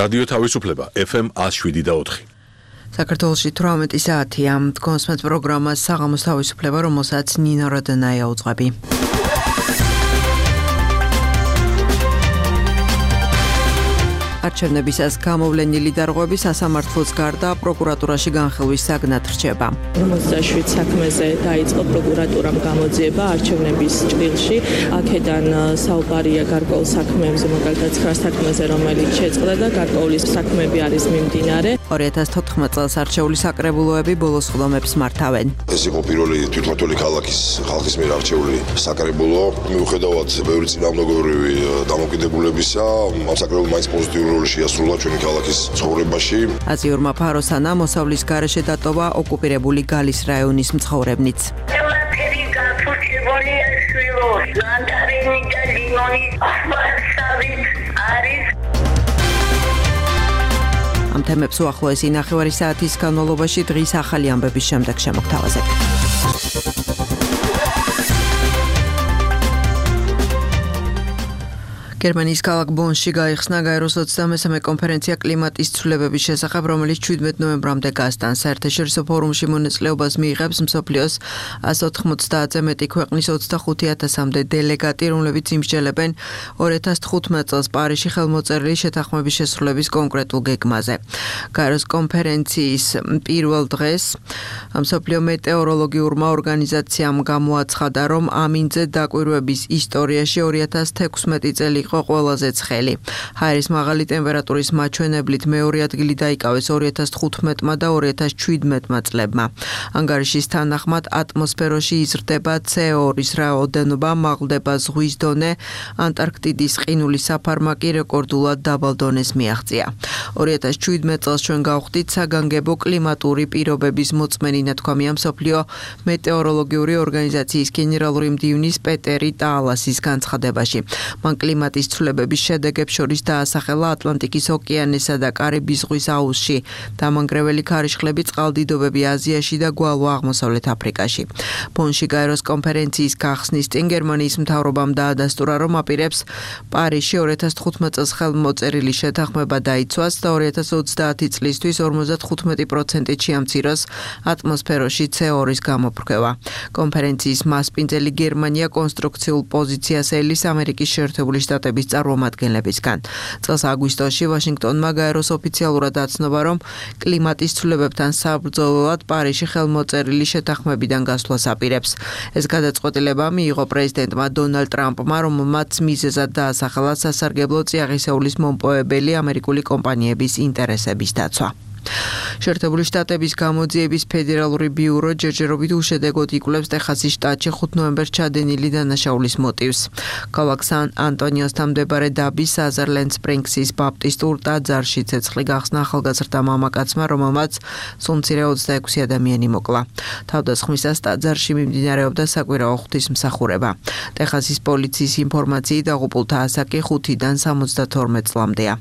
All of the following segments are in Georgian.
რადიო თავისუფლება FM 107.4. საქართველოში 18 საათია. კონსმეთ პროგრამა საღამოს თავისუფლება, რომელსაც ნინო როდანაია უძღვები. არჩევნებისას გამოვლენილი დარღვევები სასამართლოს გარდა პროკურატურაში განხილვის საგნად რჩება. 57 საქმეზე დაიწყო პროკურატურამ გამოძიება არჩევნების ჭრილში. აქედან საუბარია გარკვეულ საქმეებზე, მაგალითად 9 საქმეზე, რომელიც შეწყდა და გარკვეული საქმეები არის მიმდინარე. 2014 წელს არჩეული საკრებულოები ბოლოს ხდომებს მართავენ. ეს იყო პირველი თვითმმართველი ხალხის მიერ არჩეული საკრებულო. მიუხედავად ბევრი წინამორბედური დამოკიდებულებისა, ამ საკრებულომ მაინც პოზიტიური როლი შეასრულა ჩვენი ქალაქის ცხოვრებაში. აზიურმა ფაროსანა მოსავლის გარეშე დატოვა ოკუპირებული გალის რაიონის მცხოვრებნიც. ამ თემებს უახლოესი ნახევარი საათის განმავლობაში დღის ახალი ამბების შემდეგ შემოგთავაზებთ. გერმანიის ქალაქ ბონში გაიხსნა გაეროს 23-მე კონფერენცია კლიმატის ცვლილებების შესახებ, რომელიც 17 ნოემბრამდე გასტანს. საერთაშორისო ფორუმში მონაწილეობას მიიღებს მსოფლიოს 190-ზე მეტი ქვეყნის 25,000-მდე დელეგატი, რომლებიც იმსჯელებენ 2015 წელს პარიზში ხელმოწერილი შეთანხმების შესრულების კონკრეტულ გეგმაზე. გაეროს კონფერენციის პირველ დღეს მსოფლიო მეტეოროლოგიურმა ორგანიზაციამ გამოაცხადა, რომ ამინდზე დაკვირვების ისტორიაში 2016 წელი ყველაზე ცხელი. ჰაერის მაღალი ტემპერატურის მაჩვენებლით მეორე ადგილი დაიკავეს 2015-მა და 2017-მა წლებმა. ანგარიშის თანახმად ატმოსფეროში იზრდება CO2-ის რაოდენობა, მაღლდება ზღვის დონე, ანტარქტიდის ყინულის საფარმაკი რეკორდულად დაბალ დონეს მიაღწია. 2017 წელს ჩვენ გავხდით საგანგებო კლიმატური პირობების მოწმენი, ნათქვამია მსოფლიო მეტეოროლოგიური ორგანიზაციის გენერალური მდივნის პეტერი ტაალასის განცხადებაში. მან კლიმატის ცვლილებების შედეგებს შორის დაასახელა ატლანტიკის ოკეანესა და კარიბის ზღვის აუზში დამანგრეველი ქარიშხლები, წყალდიდობები აზიაში და გვალვა აღმოსავლეთ აფრიკაში. ბონში გაეროს კონფერენციის გახსნის წინ გერმანიის მთავრობამ დაადასტურა, რომ აპირებს პარიზში 2015 წელს ხელმოწერილი შეთანხმება დაიცვას და 2030 წლისთვის 55%-ით შეამციროს ატმოსფეროში CO2-ის გამოფრქვევა. კონფერენციის მასპინძელი გერმანია კონსტრუქციულ პოზიციას ელის ამერიკის შეერთებული შტატების წარმომადგენლებისგან. წელს აგვისტოში ვაშინგტონმა გაეროს ოფიციალურად აცნობა, რომ კლიმატის ცვლილებებთან საბრძოლველად პარიზში ხელმოწერილი შეთანხმებიდან გასვლას აპირებს. ეს გადაწყვეტილება მიიღო პრეზიდენტმა დონალდ ტრამპმა, რომელმაც მიზეზად დაასახელა სასარგებლო წიაღისეულის მომპოვებელი ამერიკული კომპანიების ინტერესების დაცვა. შეერთებული შტატების გამოძიების ფედერალური ბიურო ჯერჯერობით უშედეგოდ იკვლევს ტეხასის შტატში 5 ნოემბერს ჩადენილი დანაშაულის მოტივს. ქალაქ სან ანტონიოსთან მდებარე დაბის საზერლენდ სპრინგსის ბაპტისტურ ტაძარში ცეცხლი გახსნა ახალგაზრდა მამაკაცმა, რომელმაც სულ მცირე 26 ადამიანი მოკლა. თავდასხმისას ტაძარში მიმდინარეობდა საკვირაო ღვთისმსახურება. ტეხასის პოლიციის ინფორმაციით დაღუპულთა ასაკი 5-დან 72 წლამდეა.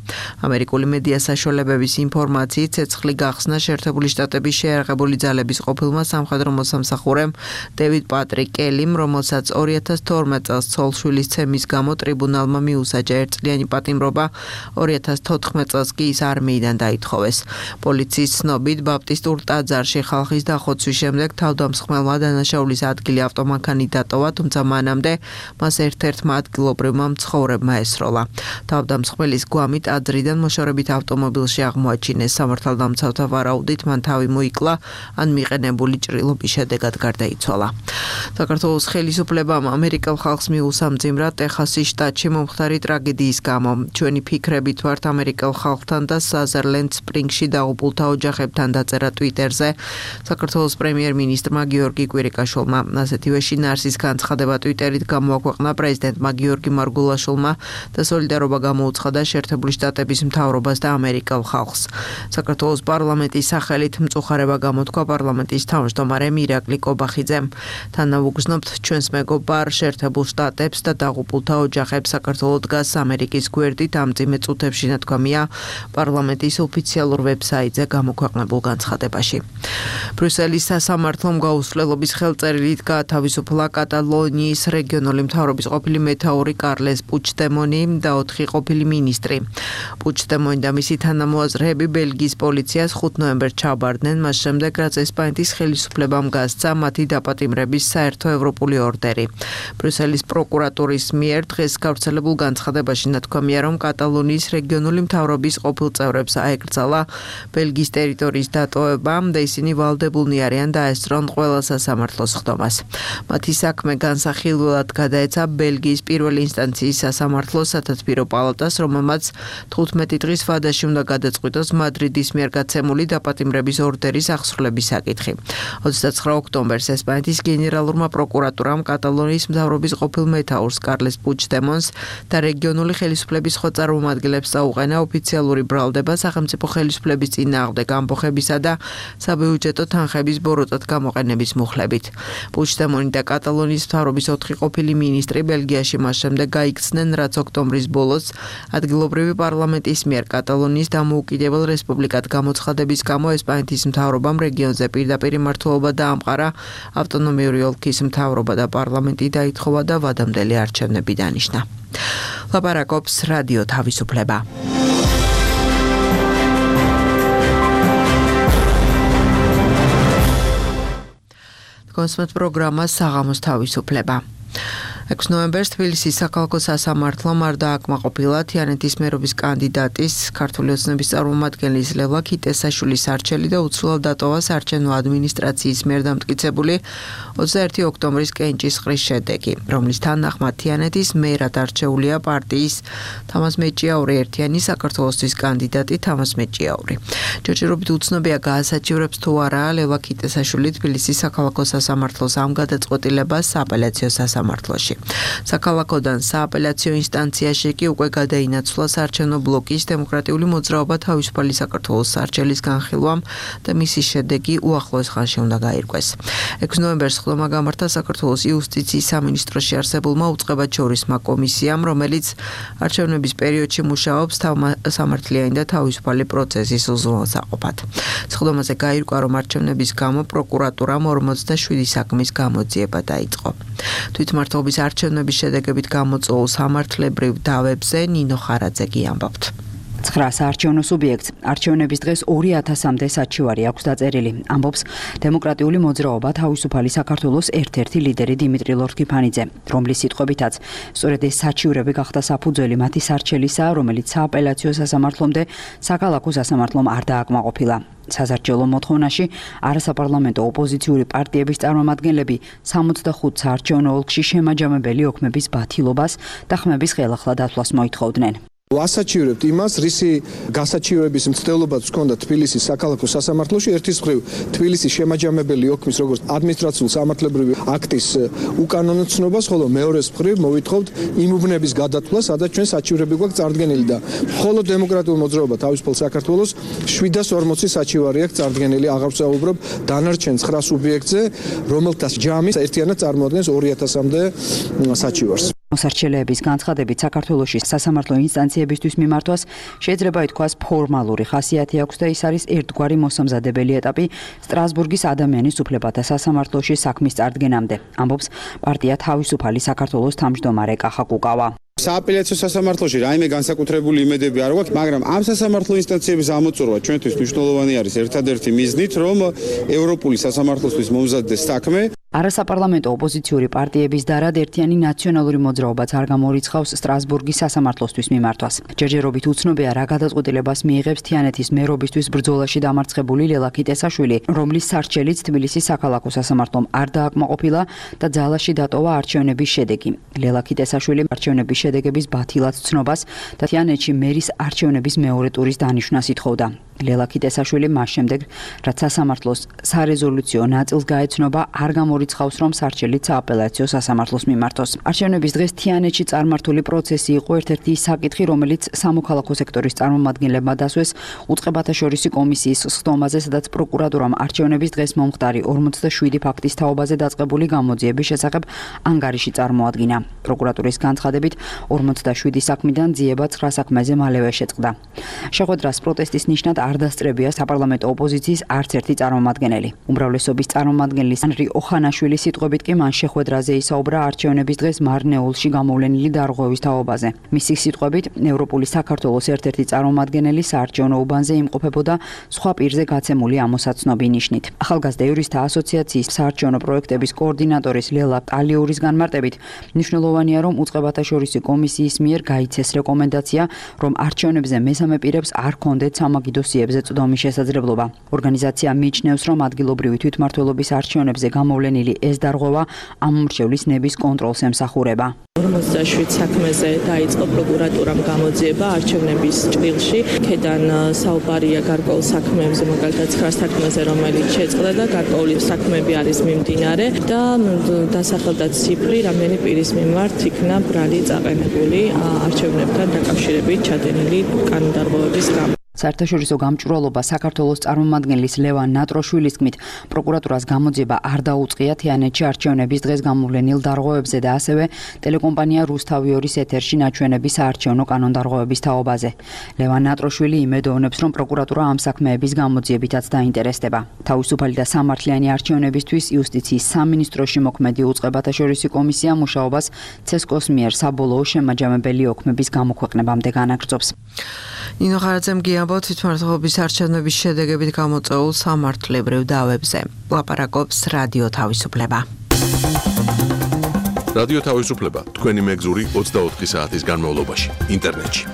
ამერიკული მედია საშუალებების ინფორმაციით ცეცხლი გახსნა შეერთებული შტატების შეიარაღებული ძალების ყოფილმა სამხედრო მოსამსახურემ დევიდ პატრიკ კელიმ, რომელსაც 2012 წელს ცოლ-შვილის ცემის გამო ტრიბუნალმა მიუსაჯა ერთწლიანი პატიმრობა, 2014 წელს კი ის არმიიდან დაითხოვეს. პოლიციის ცნობით, ბაპტისტურ ტაძარში ხალხის დახოცვის შემდეგ თავდამსხმელმა დანაშაულის ადგილი ავტომანქანით დატოვა, თუმცა მანამდე მას ერთ-ერთმა ადგილობრივმა მცხოვრებმა ესროლა. თავდამსხმელის გვამი ტაძრიდან მოშორებით ავტომობილში აღმოაჩინეს. სამართალდამცავთა ვარაუდით მან თავი მოიკლა, ან მიყენებული ჭრილობის შედეგად გარდაიცვალა. საქართველოს ხელისუფლებამ ამერიკელ ხალხს მიუსამძიმრა ტეხასის შტატში მომხდარი ტრაგედიის გამო. ჩვენი ფიქრებით ვართ ამერიკელ ხალხთან და საზერლენდ სპრინგსში დაღუპულთა ოჯახებთან, დაწერა ტვიტერზე საქართველოს პრემიერ-მინისტრმა გიორგი კვირიკაშვილმა. ასეთივე შინაარსის განცხადება ტვიტერით გამოაქვეყნა პრეზიდენტმა გიორგი მარგულაშვილმა და სოლიდარობა გამოუცხადა შეერთებული შტატების მთავრობას და ამერიკელ ხალხს. საქართველოს პარლამენტის სახელით მწუხარება გამოთქვა პარლამენტის თავმჯდომარემ ირაკლი კობახიძემ. თანაუგ ვუგრძნობთ ჩვენს მეგობარ შეერთებულ შტატებს და დაღუპულთა ოჯახებს საქართველოს დგას ამერიკის გვერდით ამ წიმე წუთებში ნათქვამია პარლამენტის ოფიციალურ ვებსაიტზე გამოქვეყნებულ განცხადებაში. ბრიუსელის სასამართლომ გაუსვლელობის ხელწერილი დგა თავისუფლა კატალონიის რეგიონული მთავრობის ყოფილი მეთაური კარლეს პუჩდემონი და 4 ყოფილი მინისტრი. პუჩდემონი და მისი თანამოაზრეები ბელგიის პოლიციას 5 ნოემბერს ჩაბარდნენ, მას შემდეგ რაც ესპანეთის ხელისუფლებამ გასცა მათი დაპატიმრების საერთო ევროპული ორდერი. ბრიუსელის პროკურატურის მიერ დღეს გავრცელებულ განცხადებაში ნათქვამია, რომ კატალონიის რეგიონული მთავრობის ყოფილ წევრებს აეკრძალა ბელგიის ტერიტორიის დატოვება და ისინი ვალდებულნი არიან დაესწრონ ყველა სასამართლოს ხდომას. მათი საქმე განსახილველად გადაეცა ბელგიის პირველი ინსტანციის სასამართლოს სათათბირო პალატას, რომელმაც 15 დღის ვადაში უნდა გადაწყვიტოს მადრიდის მიერ გაცემული დაპატიმრების ორდერის აღსრულების საკითხი. 29 ოქტომბერს ესპანეთის გენერალურმა პროკურატურამ კატალონიის მთავრობის ყოფილ მეთაურს კარლეს პუჩდემონს და რეგიონული ხელისუფლების სხვა წარმომადგენლებს წაუყენა ოფიციალური ბრალდება სახელმწიფო ხელისუფლების წინააღმდეგ ამბოხებისა და საბიუჯეტო თანხების ბოროტად გამოყენების მუხლებით. პუჩდემონი და კატალონიის მთავრობის 4 ყოფილი მინისტრი ბელგიაში მას შემდეგ გაიქცნენ, რაც ოქტომბრის ბოლოს ადგილობრივი პარლამენტის მიერ კატალონიის დამოუკიდებელ რესპუბლიკად გამოცხადების გამო ესპანეთის მთავრობამ რეგიონზე პირდაპირ მმართველობა დაამყარა, ავტონომიური ოლქის მთავრობა და პარლამენტი დაითხოვა და ვადამდელი არჩევნები დანიშნა. ლაპარაკობს რადიო თავისუფლება. კონსმეთ პროგრამა საღამოს თავისუფლება. 6 ნოემბერს თბილისის საქალაქო სასამართლომ არ დააკმაყოფილა თიანეთის მერობის კანდიდატის ქართული ოცნების წარმომადგენლის ლევლა ქიტესაშვილის არჩევანი და უცვლელად დატოვა საარჩევნო ადმინისტრაციის მიერ დამტკიცებული 21 ოქტომბრის კენჭისყრის შედეგი, რომლის თანახმად თიანეთის მერად არჩეულია პარტიის თამაზ მეჭიაური ერთიანი საქართველოსთვის კანდიდატი თამაზ მეჭიაური. ჯერჯერობით უცნობია გაასაჩივრებს თუ არა ლევლა ქიტესაშვილი თბილისის საქალაქო სასამართლოს ამ გადაწყვეტილებას სააპელაციო სასამართლოში. საქალაქოდან სააპელაციო ინსტანციაში კი უკვე გადაინაცვლა საარჩევნო ბლოკის დემოკრატიული მოძრაობა თავისუფალი საქართველოს სარჩელის განხილვამ და მისი შედეგი უახლოეს ხანში უნდა გაირკვეს. 6 ნოემბერს ხდომა გამართა საქართველოს იუსტიციის სამინისტროში არსებულმა უწყებაჩორისმა კომისიამ, რომელიც არჩევნების პერიოდში მუშაობს სამართლიანი და თავისუფალი პროცესის უზრუნველსაყოფად. ხდომაზე გაირკვა, რომ არჩევნების გამო პროკურატურამ 47 საქმის გამოძიება დაიწყო. თვითმმართველობის არჩევნების შედეგებით გამოწვეულ სამართლებრივ დავებზე ნინო ხარაძე ამბობთ. 9 საარჩევნო სუბიექტს არჩევნების დღეს 2000-მდე საჩივარი აქვს დაწერილი. ამბობს დემოკრატიული მოძრაობა თავისუფალი საქართველოს ერთ-ერთი ლიდერი დიმიტრი ლორთქიფანიძე, რომლის სიტყვებითაც სწორედ ეს საჩივრები გახდა საფუძველი მათი სარჩელისა, რომელიც სააპელაციო სასამართლომდე საქალაქო სასამართლომ არ დააკმაყოფილა. სასარჩელო მოთხოვნაში არასაპარლამენტო ოპოზიციური პარტიების წარმომადგენლები 65 საარჩევნო ოლქში შემაჯამებელი ოქმების ბათილობას და ხმების ხელახლა დათვლას მოითხოვდნენ. ვასაჩივრებთ იმას, რისი გასაჩივრების მცდელობაც ჰქონდა თბილისის საქალაქო სასამართლოში, ერთის მხრივ თბილისის შემაჯამებელი ოქმის როგორც ადმინისტრაციული სამართლებრივი აქტის უკანონოცნობას, ხოლო მეორეს მხრივ მოვითხოვთ იმ უბნების გადათვლა, სადაც ჩვენ საჩივრები გვაქვს წარდგენილი და მხოლოდ დემოკრატიული მოძრაობა თავისუფალ საქართველოს 740 საჩივარი აქვს წარდგენილი, აღარ ვსაუბრობ დანარჩენ 9 სუბიექტზე, რომელთა ჯამი ერთიანად წარმოადგენს 2000-მდე საჩივარს. მოსარჩელეების განცხადებით საქართველოში სასამართლო ინსტანციებისთვის მიმართვას შეიძლება ითქვას ფორმალური ხასიათი აქვს და ის არის ერთგვარი მოსამზადებელი ეტაპი სტრასბურგის ადამიანის უფლებათა სასამართლოში საქმის წარდგენამდე, ამბობს პარტია თავისუფალი საქართველოს თავმჯდომარე კახა კუკავა. სააპელაციო სასამართლოში რაიმე განსაკუთრებული იმედები არ გვაქვს, მაგრამ ამ სასამართლო ინსტანციების ამოწურვა ჩვენთვის მნიშვნელოვანი არის ერთადერთი მიზნით, რომ ევროპული სასამართლოსთვის მომზადდეს საქმე. არასაპარლამენტო ოპოზიციური პარტიების დარად ერთიანი ნაციონალური მოძრაობაც არ გამორიცხავს სტრასბურგის სასამართლოსთვის მიმართვას. ჯერჯერობით უცნობია რა გადაწყვეტილებას მიიღებს თიანეთის მერობისთვის ბრძოლაში დამარცხებული ლელა ქიტესაშვილი, რომლის სარჩელიც თბილისის საქალაქო სასამართლომ არ დააკმაყოფილა და ძალაში დატოვა არჩევნების შედეგი. ლელა ქიტესაშვილი არჩევნების შედეგების ბათილად ცნობას და თიანეთში მერის არჩევნების მეორე ტურის დანიშვნას ითხოვდა. ლელა ქიტესაშვილი მას შემდეგ, რაც სასამართლოს სარეზოლუციო ნაწილს გაეცნობა, არ გამორიცხავს, რომ სარჩელით სააპელაციო სასამართლოს მიმართოს. არჩევნების დღეს თიანეთში წარმართული პროცესი იყო ერთ-ერთი საკითხი, რომელიც სამოქალაქო სექტორის წარმომადგენლებმა დასვეს უწყებათა შორისი კომისიის სხდომაზე, სადაც პროკურატურამ არჩევნების დღეს მომხდარი 47 ფაქტის თაობაზე დაწყებული გამოძიების შესახებ ანგარიში წარმოადგინა. პროკურატურის განცხადებით 47 საქმიდან ძიება 9 საქმეზე მალევე შეწყდა. შეხვედრას პროტესტის ნიშნად არ დასწრებია საპარლამენტო ოპოზიციის არც ერთი წარმომადგენელი. უმრავლესობის წარმომადგენლის ანრი ოხანაშვილის სიტყვებით კი მან შეხვედრაზე ისაუბრა არჩევნების დღეს მარნეულში გამოვლენილი დარღვევის თაობაზე. მისი სიტყვებით, ევროპული საქართველოს ერთ-ერთი წარმომადგენელი საარჩევნო უბანზე იმყოფებოდა სხვა პირზე გაცემული ამოსაცნობი ნიშნით. ახალგაზრდა იურისტთა ასოციაციის საარჩევნო პროექტების კოორდინატორის ლელა ტალიურის განმარტებით, მნიშვნელოვანია, რომ უწყებათა შორისი კომისიის მიერ გაიცეს რეკომენდაცია, რომ არჩევნებზე მესამე პირებს არ ჰქონდეთ სამაგიდო სიებზე წვდომის შესაძლებლობა. ორგანიზაცია მიიჩნევს, რომ ადგილობრივი თვითმმართველობის არჩევნებზე გამოვლენილი ეს დარღვევა ამ მრჩევლის ნების კონტროლს ემსახურება. 47 საქმეზე დაიწყო პროკურატურამ გამოძიება არჩევნების ჭრილში. ქედან საუბარია გარკვეულ საქმეებზე, მაგალითად 9 საქმეზე, რომელიც შეწყდა და გარკვეული საქმეები არის მიმდინარე და დასახელდა ციფრი, რამდენი პირის მიმართ იქნა ბრალი წაყენებული არჩევნებთან დაკავშირებით ჩადენილი კანონდარღვევების გამო. საერთაშორისო გამჭვირვალობა საქართველოს წარმომადგენლის ლევან ნატროშვილის თქმით, პროკურატურას გამოძიება არ დაუწყია თიანეთში არჩევნების დღეს გამოვლენილ დარღვევებზე და ასევე ტელეკომპანია რუსთავი 2-ის ეთერში ნაჩვენების საარჩევნო კანონდარღვევების თაობაზე. ლევან ნატროშვილი იმედოვნებს, რომ პროკურატურა ამ საქმეების გამოძიებითაც დაინტერესდება. თავისუფალი და სამართლიანი არჩევნებისთვის იუსტიციის სამინისტროში მოქმედი უწყებათა შორისი კომისია მუშაობას ცესკოს მიერ საბოლოო შემაჯამებელი ოქმების გამოქვეყნებამდე განაგრძობს. ნინო ხარაძემ გიამბობთ თვითმმართველობის არჩევნების შედეგებით გამოწვეულ სამართლებრივ დავებზე. ლაპარაკობს რადიო თავისუფლება. რადიო თავისუფლება თქვენი მეგზური 24 საათის განმავლობაში ინტერნეტში.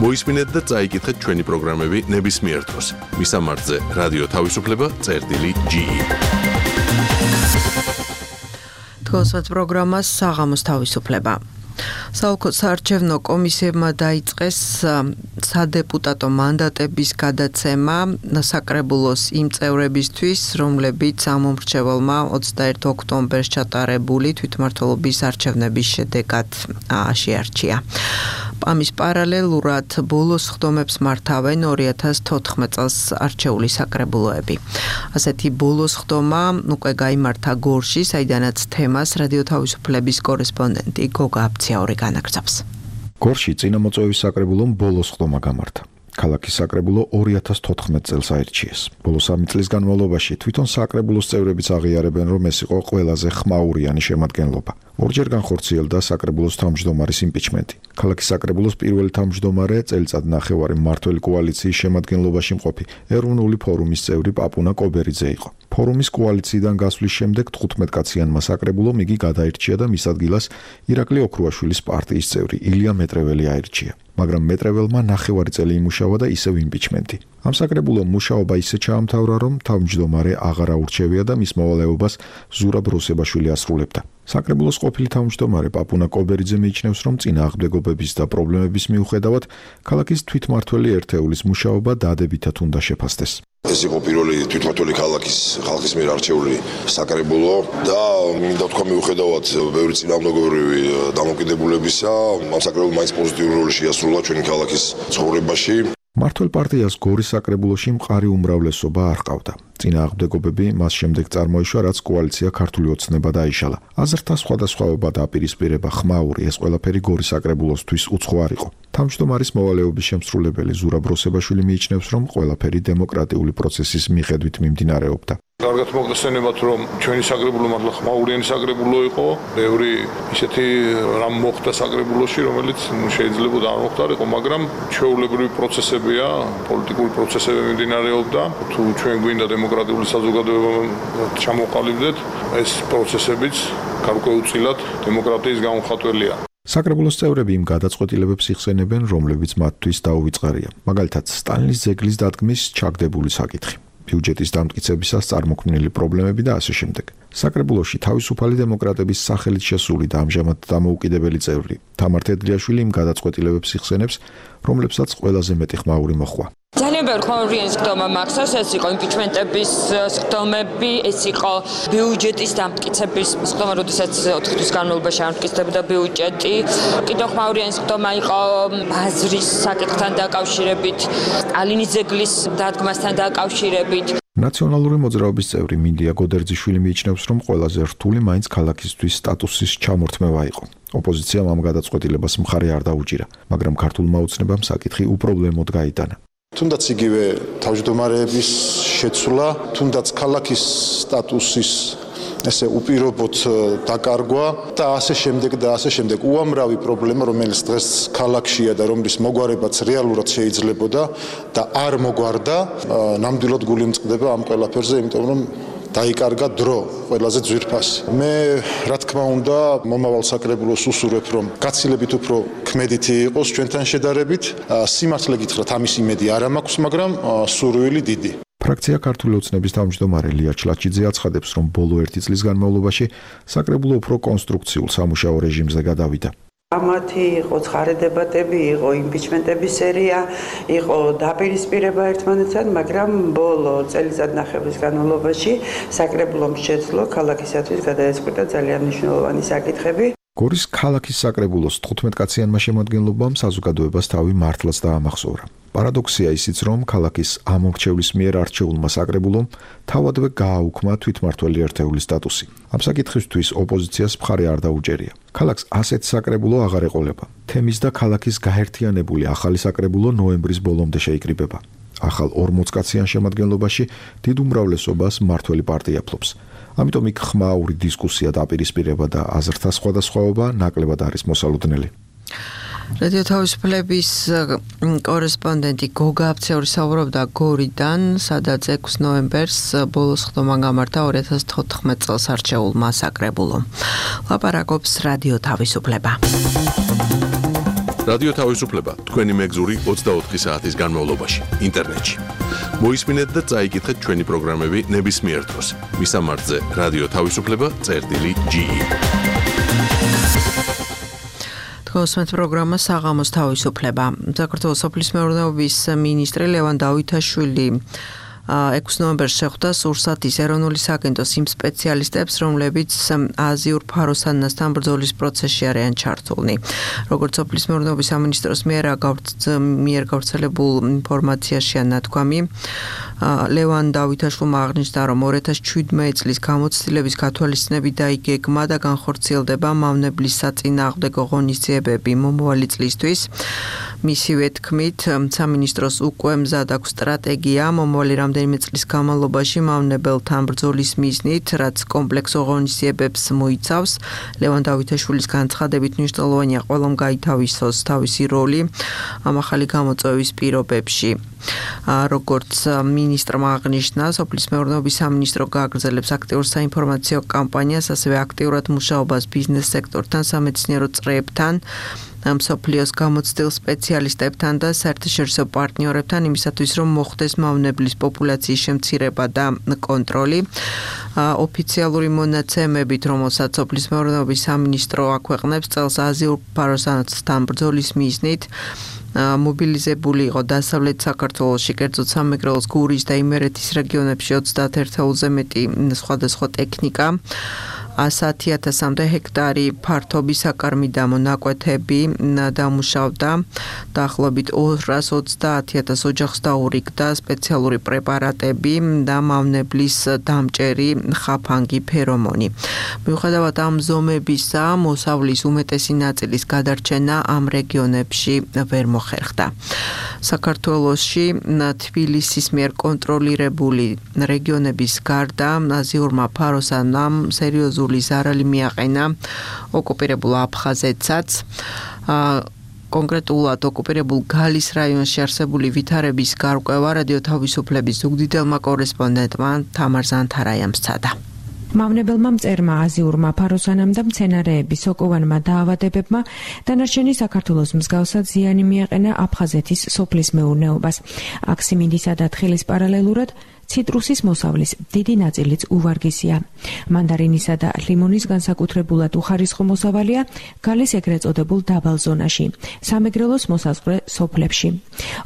მოისმინეთ და წაიკითხეთ ჩვენი პროგრამები ნებისმიერ დროს. მისამართზე რადიო თავისუფლება.ge. თქვენს პროგრამას საღამოს თავისუფლება. საარჩევნო კომისიებმა დაიწყეს სადეპუტატო მანდატების გადაცემა საკრებულოს იმ წევრებისთვის, რომლებიც ამ მომრჩეველმა 21 ოქტომბერს ჩატარებული თვითმმართველობის არჩევნების შედეგად შეარჩია. ამის პარალელურად ბოლოს სხდომებს მართავენ 2014 წელს არჩეული საკრებულოები. ასეთი ბოლოს სხდომა უკვე გაიმართა გორში, საიდანაც თემას რადიო თავისუფლების კორესპონდენტი გოგა აბციაური განაგრძობს. გორში წინამოწვევის საკრებულომ ბოლოს სხდომა გამართა. ქალაქის საკრებულო 2014 წელს აირჩიეს. ბოლო 3 წლის განმავლობაში თვითონ საკრებულოს წევრებიც აღიარებენ, რომ ეს იყო ყველაზე ხმაურიანი შემადგენლობა. ორჯერ განხორციელდა საკრებულოს თავმჯდომარის იმპიჩმენტი. ქალაქის საკრებულოს პირველი თავმჯდომარე წელიწად ნახევარი მმართველი კოალიციის შემადგენლობაში მყოფი ეროვნული ფორუმის წევრი პაპუნა კობერიძე იყო. ფორუმის კოალიციიდან გასვლის შემდეგ 15 კაციანმა საკრებულომ იგი გადაირჩია და მის ადგილას ირაკლი ოქრუაშვილის პარტიის წევრი ილია მეტრეველი აირჩია. მაგრამ მეტრეველმა ნახევარი წელი იმუშავა და ისევ იმპიჩმენტი. ამ საკრებულომ მუშაობა ისე ჩაამთავრა, რომ თავმჯდომარე აღარ აურჩევია და მის მოვალეობას ზურაბ რუსებაშვილი ასრულებდა. საკრებულოს ყოფილი თავმჯდომარე პაპუნა კობერიძე მიიჩნევს, რომ წინააღმდეგობების და პრობლემების მიუხედავად ქალაქის თვითმმართველი ერთეულის მუშაობა დადებითად უნდა შეფასდეს. ეს იყო პირველი თვითმმართველი ქალაქის ხალხის მიერ არჩეული საკრებულო და მინდა თქვა მიუხედავად ბევრი წინააღმდეგობრივი დამოკიდებულებისა, ამ საკრებულომ მაინც პოზიტიური როლი შეასრულა ჩვენი ქალაქის ცხოვრებაში. მართლ პარტიას გორის საკრებულოში მყარი უმრავლესობა არ ჰყავდა. წინააღმდეგობები მას შემდეგ წარმოიშვა, რაც კოალიცია ქართული ოცნება დაიშალა. აზრთა სხვადასხვაობა და აპირისპირება ხმაური, ეს ყველაფერი გორის საკრებულოსთვის უცხო არ იყო. თავმჯდომარის მოვალეობის შემსრულებელი ზურაბ რუსებაშვილი მიიჩნევს, რომ ყველაფერი დემოკრატიული პროცესის მიხედვით მიმდინარეობდა. კარგად მოგხსენებათ, რომ ჩვენი საკრებულო მართლა ხმაურიანი საკრებულო იყო. ბევრი ისეთი რამ მოხდა საკრებულოში, რომელიც შეიძლება არ მოხდარიყო, მაგრამ ჩვეულებრივი პროცესებია, პოლიტიკური პროცესები მიმდინარეობდა. თუ ჩვენ გვინდა დემოკრატიული საზოგადოება ჩამოყალიბდეთ, ეს პროცესებიც გარკვეულწილად დემოკრატიის გამომხატველია. საკრებულოს წევრები იმ გადაწყვეტილებებს იხსენებენ, რომლებიც მათთვის დაუვიწყარია. მაგალითად, სტალინის ძეგლის დადგმის ჩაგდებული საკითხი. ბიუჯეტის დამტკიცებისას წარმოქმნილი პრობლემები და ასე შემდეგ. საკრებულოში თავისუფალი დემოკრატების სახელით შესული და ამჟამად დამოუკიდებელი წევრი თამარ თედრიაშვილი იმ გადაწყვეტილებებს იხსენებს, რომლებსაც ყველაზე მეტი ხმაური მოჰყვა. ძალიან ბევრი ხმაურიანი სხდომა მახსოვს, ეს იყო იმპიჩმენტების სხდომები, ეს იყო ბიუჯეტის დამტკიცების სხდომა, როდესაც 4 თვის განმავლობაში ამტკიცდებოდა ბიუჯეტი. კიდევ ხმაურიანი სხდომა იყო ბაზრის საკითხთან დაკავშირებით, სტალინის ძეგლის დადგმასთან დაკავშირებით. ნაციონალური მოძრაობის წევრი მინდია გოდერძიშვილი მიიჩნევს, რომ ყველაზე რთული მაინც ქალაქისთვის სტატუსის ჩამორთმევა იყო. ოპოზიციამ ამ გადაწყვეტილებას მხარი არ დაუჭირა, მაგრამ ქართულმა ოცნებამ საკითხი უპრობლემოდ გაიტანა. თუნდაც იგივე თავმჯდომარეების შეცვლა, თუნდაც ქალაქის სტატუსის ესე უპირობოდ დაკარგვა და ასე შემდეგ უამრავი პრობლემა, რომელიც დღეს ქალაქშია და რომლის მოგვარებაც რეალურად შეიძლებოდა და არ მოგვარდა, ნამდვილად გული მწყდება ამ ყველაფერზე, იმიტომ რომ დაიკარგა დრო ყველაზე ძვირფასი. მე რა თქმა უნდა მომავალ საკრებულოს უსურვებ, რომ გაცილებით უფრო ქმედითი იყოს ჩვენთან შედარებით. სიმართლე გითხრათ, ამის იმედი არ მაქვს, მაგრამ სურვილი დიდი. ფრაქცია ქართული ოცნების თავმჯდომარე ლია ჩლაჩიძე აცხადებს, რომ ბოლო 1 წლის განმავლობაში საკრებულო უფრო კონსტრუქციულ სამუშაო რეჟიმზე გადავიდა. ამათი იყო ცხარე დებატები, იყო იმპიჩმენტების სერია, იყო დაპირისპირება ერთმანეთთან, მაგრამ ბოლო წელიწადნახევრის განმავლობაში საკრებულომ შეძლო ქალაქისათვის გადაეწყვიტა ძალიან მნიშვნელოვანი საკითხები. გორის ქალაქის საკრებულოს 15 კაციანმა შემადგენლობამ საზოგადოებას თავი მართლაც დაამახსოვრა. პარადოქსია ისიც, რომ ქალაქის ამომრჩევლის მიერ არჩეულმა საკრებულომ თავადვე გააუქმა თვითმმართველი ერთეულის სტატუსი. ამ საკითხისთვის ოპოზიციას მხარი არ დაუჭერია. ქალაქს ასეთ საკრებულო აღარ ეყოლება. თემის და ქალაქის გაერთიანებული ახალი საკრებულო ნოემბრის ბოლომდე შეიკრიბება. ახალ 40 კაციან შემადგენლობაში დიდ უმრავლესობას მმართველი პარტია ფლობს. ამიტომ იქ ხმაური დისკუსია დაპირისპირება და აზრთა სხვადასხვაობა ნაკლებად არის მოსალოდნელი. რადიო თავისუფლების კორესპონდენტი გოგა აფცეური საუბრობდა გორიდან, სადაც 6 ნოემბერს ბოლოს ხდომა გამართა 2014 წელს არჩეულმა საკრებულომ. ლაპარაკობს რადიო თავისუფლება. რადიო თავისუფლება თქვენი მეგზური 24 საათის განმავლობაში ინტერნეტში. მოისმინეთ და წაიკითხეთ ჩვენი პროგრამები ნებისმიერ დროს. მისამართზე რადიო თავისუფლება.ge. გოსმეთ პროგრამა საღამოს თავისუფლება. საქართველოს სოფლის მეურნეობის მინისტრი ლევან დავითაშვილი 6 ნოემბერს შეხვდა სურსათის ეროვნული სააგენტოს იმ სპეციალისტებს, რომლებიც აზიურ ფაროსანასთან ბრძოლის პროცესში არიან ჩართულნი. როგორც სოფლის მეურნეობის სამინისტროს მიერ გავრცელებულ ინფორმაციაშია ნათქვამი, ლევან დავითაშვილმა აღნიშნა, რომ 2017 წლის გამოცდილების გათვალისწინებით დაიგეგმა და განხორციელდება მავნებლის საწინააღმდეგო ღონისძიებები მომავალი წლისთვის. მისივე თქმით, სამინისტროს უკვე მზად აქვს სტრატეგია მომავალი რამდენიმე წლის განმავლობაში მავნებელთან ბრძოლის მიზნით, რაც კომპლექსო ღონისძიებებს მოიცავს. ლევან დავითაშვილის განცხადებით მნიშვნელოვანია ყველამ გაითავისოს თავისი როლი ამ ახალი გამოწვევის პირობებში. როგორც მინისტრმა აღნიშნა, სოფლის მეურნეობის სამინისტრო გააგრძელებს აქტიურ საინფორმაციო კამპანიას, ასევე აქტიურად მუშაობას ბიზნეს სექტორთან, სამეცნიერო წრეებთან, მსოფლიოს გამოცდილ სპეციალისტებთან და საერთაშორისო პარტნიორებთან იმისათვის, რომ მოხდეს მავნებლის პოპულაციის შემცირება და კონტროლი. ოფიციალური მონაცემებით, რომელსაც სოფლის მეურნეობის სამინისტრო აქვეყნებს, წელს აზიურ ფაროსანასთან ბრძოლის მიზნით მობილიზებული იყო დასავლეთ საქართველოში, კერძოდ სამეგრელოს, გურის და იმერეთის რეგიონებში 31,000-ზე მეტი სხვადასხვა ტექნიკა. 110,000-მდე ჰექტარი ფართობი საკარმიდამო ნაკვეთები დამუშავდა, დაახლოებით 230,000 ოჯახს დაურიგდა სპეციალური პრეპარატები და მავნებლის დამჭერი ხაფანგი ფერომონი. მიუხედავად ამ ზომებისა, მოსავლის უმეტესი ნაწილის გადარჩენა ამ რეგიონებში ვერ მოხერხდა. საქართველოში თბილისის მიერ კონტროლირებული რეგიონების გარდა აზიურმა ფაროსანამ სერიოზული ზარალი მიაყენა ოკუპირებულ აფხაზეთსაც. კონკრეტულად ოკუპირებულ გალის რაიონში არსებული ვითარების გარკვევა რადიო თავისუფლების ზუგდიდელმა კორესპონდენტმა თამარ ზანთარაიამ სცადა. მავნებელმა მწერმა აზიურმა ფაროსანამ და მცენარეების სოკოვანმა დაავადებებმა დანარჩენი საქართველოს მსგავსად ზიანი მიაყენა აფხაზეთის სოფლის მეურნეობას. აქ სიმინდისა და თხილის პარალელურად ციტრუსის მოსავლის დიდი ნაწილიც უვარგისია. მანდარინისა და ლიმონის განსაკუთრებულად უხარისხო მოსავალია გალის ეგრეთ წოდებულ დაბალ ზონაში, სამეგრელოს მოსაზღვრე სოფლებში.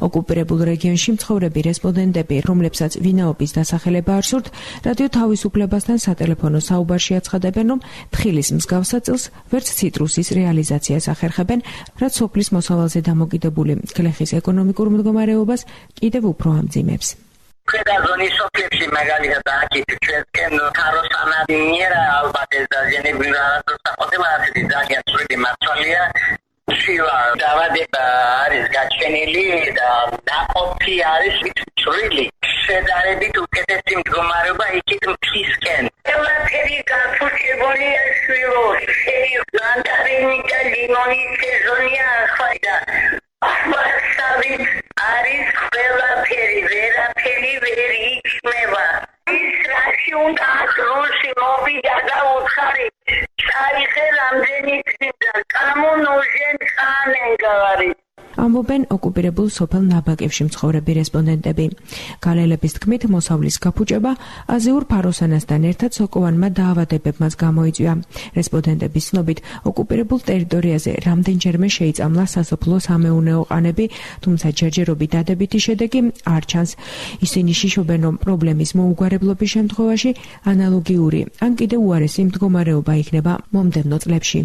ოკუპირებულ რეგიონში მცხოვრები რესპონდენტები, რომლებსაც ვინაობის დასახელება არ სურთ, რადიო თავისუფლებასთან სატელეფონო საუბარში აცხადებენ, რომ თხილის მსგავსად წილს ვერც ციტრუსის რეალიზაციას ახერხებენ, რაც სოფლის მოსავალზე დამოკიდებული გლეხის ეკონომიკურ მდგომარეობას კიდევ უფრო ამძიმებს. Predazoni soflებში მაგალითად აქეთ ჩვენკენ ქაროსანა ნიერა ალბათ ეს დაზიანებული რაღაცა ასეთი ძალიან ცუდი მართალია შივა დავადება არის გაჩენილი და დაყოფი არის ცრილი შედარებით უკეთესი მდგომარეობა იქით მთისკენ ყველაფერი გაფუჭებულია შვილოში მანდარინი და ლიმონის სეზონია ახლა და ასავით არის ყველაფერი ვერაფერი ვერ იქნება ის რაში უნდა დროში მოვიდა და უთხარი წაიღე რამდენი წინდა კამუნოჟენ ხანენგარი ამბობენ ოკუპირებულ სოფელ ნაბაკებში მცხოვრები რესპონდენტები. გალელების თქმით, მოსავლის გაფუჭება აზიურ ფაროსანასთან ერთად სოკოვანმა დაავადებებმაც გამოიწვია. რესპონდენტების ცნობით, ოკუპირებულ ტერიტორიაზე რამდენჯერმე შეიწამლა სასოფლო-სამეურნეო ყანები, თუმცა ჯერჯერობით დადებითი შედეგი არ ჩანს. ისინი შიშობენ, რომ პრობლემის მოუგვარებლობის შემთხვევაში ანალოგიური ან კიდევ უარესი მდგომარეობა იქნება მომდევნო წლებში.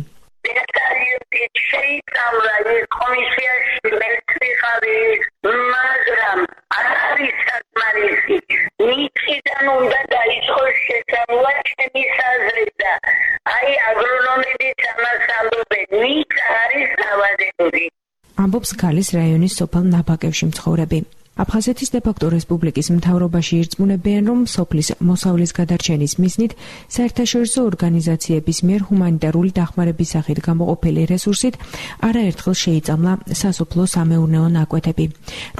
შეიწამლა ის კომისიაში მეთრიხარი მაგრამ არ არის საკმარისი მიწიდან უნდა დაიწყოს შეწამლა ჩემის აზრით და აი აგრონომებიც ამას ამბობენ მიწა არის დავადებული ამბობს გალის რაიონის სოფელ ნაბაკებში მცხოვრები. აფხაზეთის დე-ფაქტო რესპუბლიკის მთავრობაში ირწმუნებიან, რომ სოფლის მოსავლის გადარჩენის მიზნით საერთაშორისო ორგანიზაციების მიერ ჰუმანიტარული დახმარების სახით გამოყოფილი რესურსით არაერთხელ შეიწამლა სასოფლო-სამეურნეო ნაკვეთები.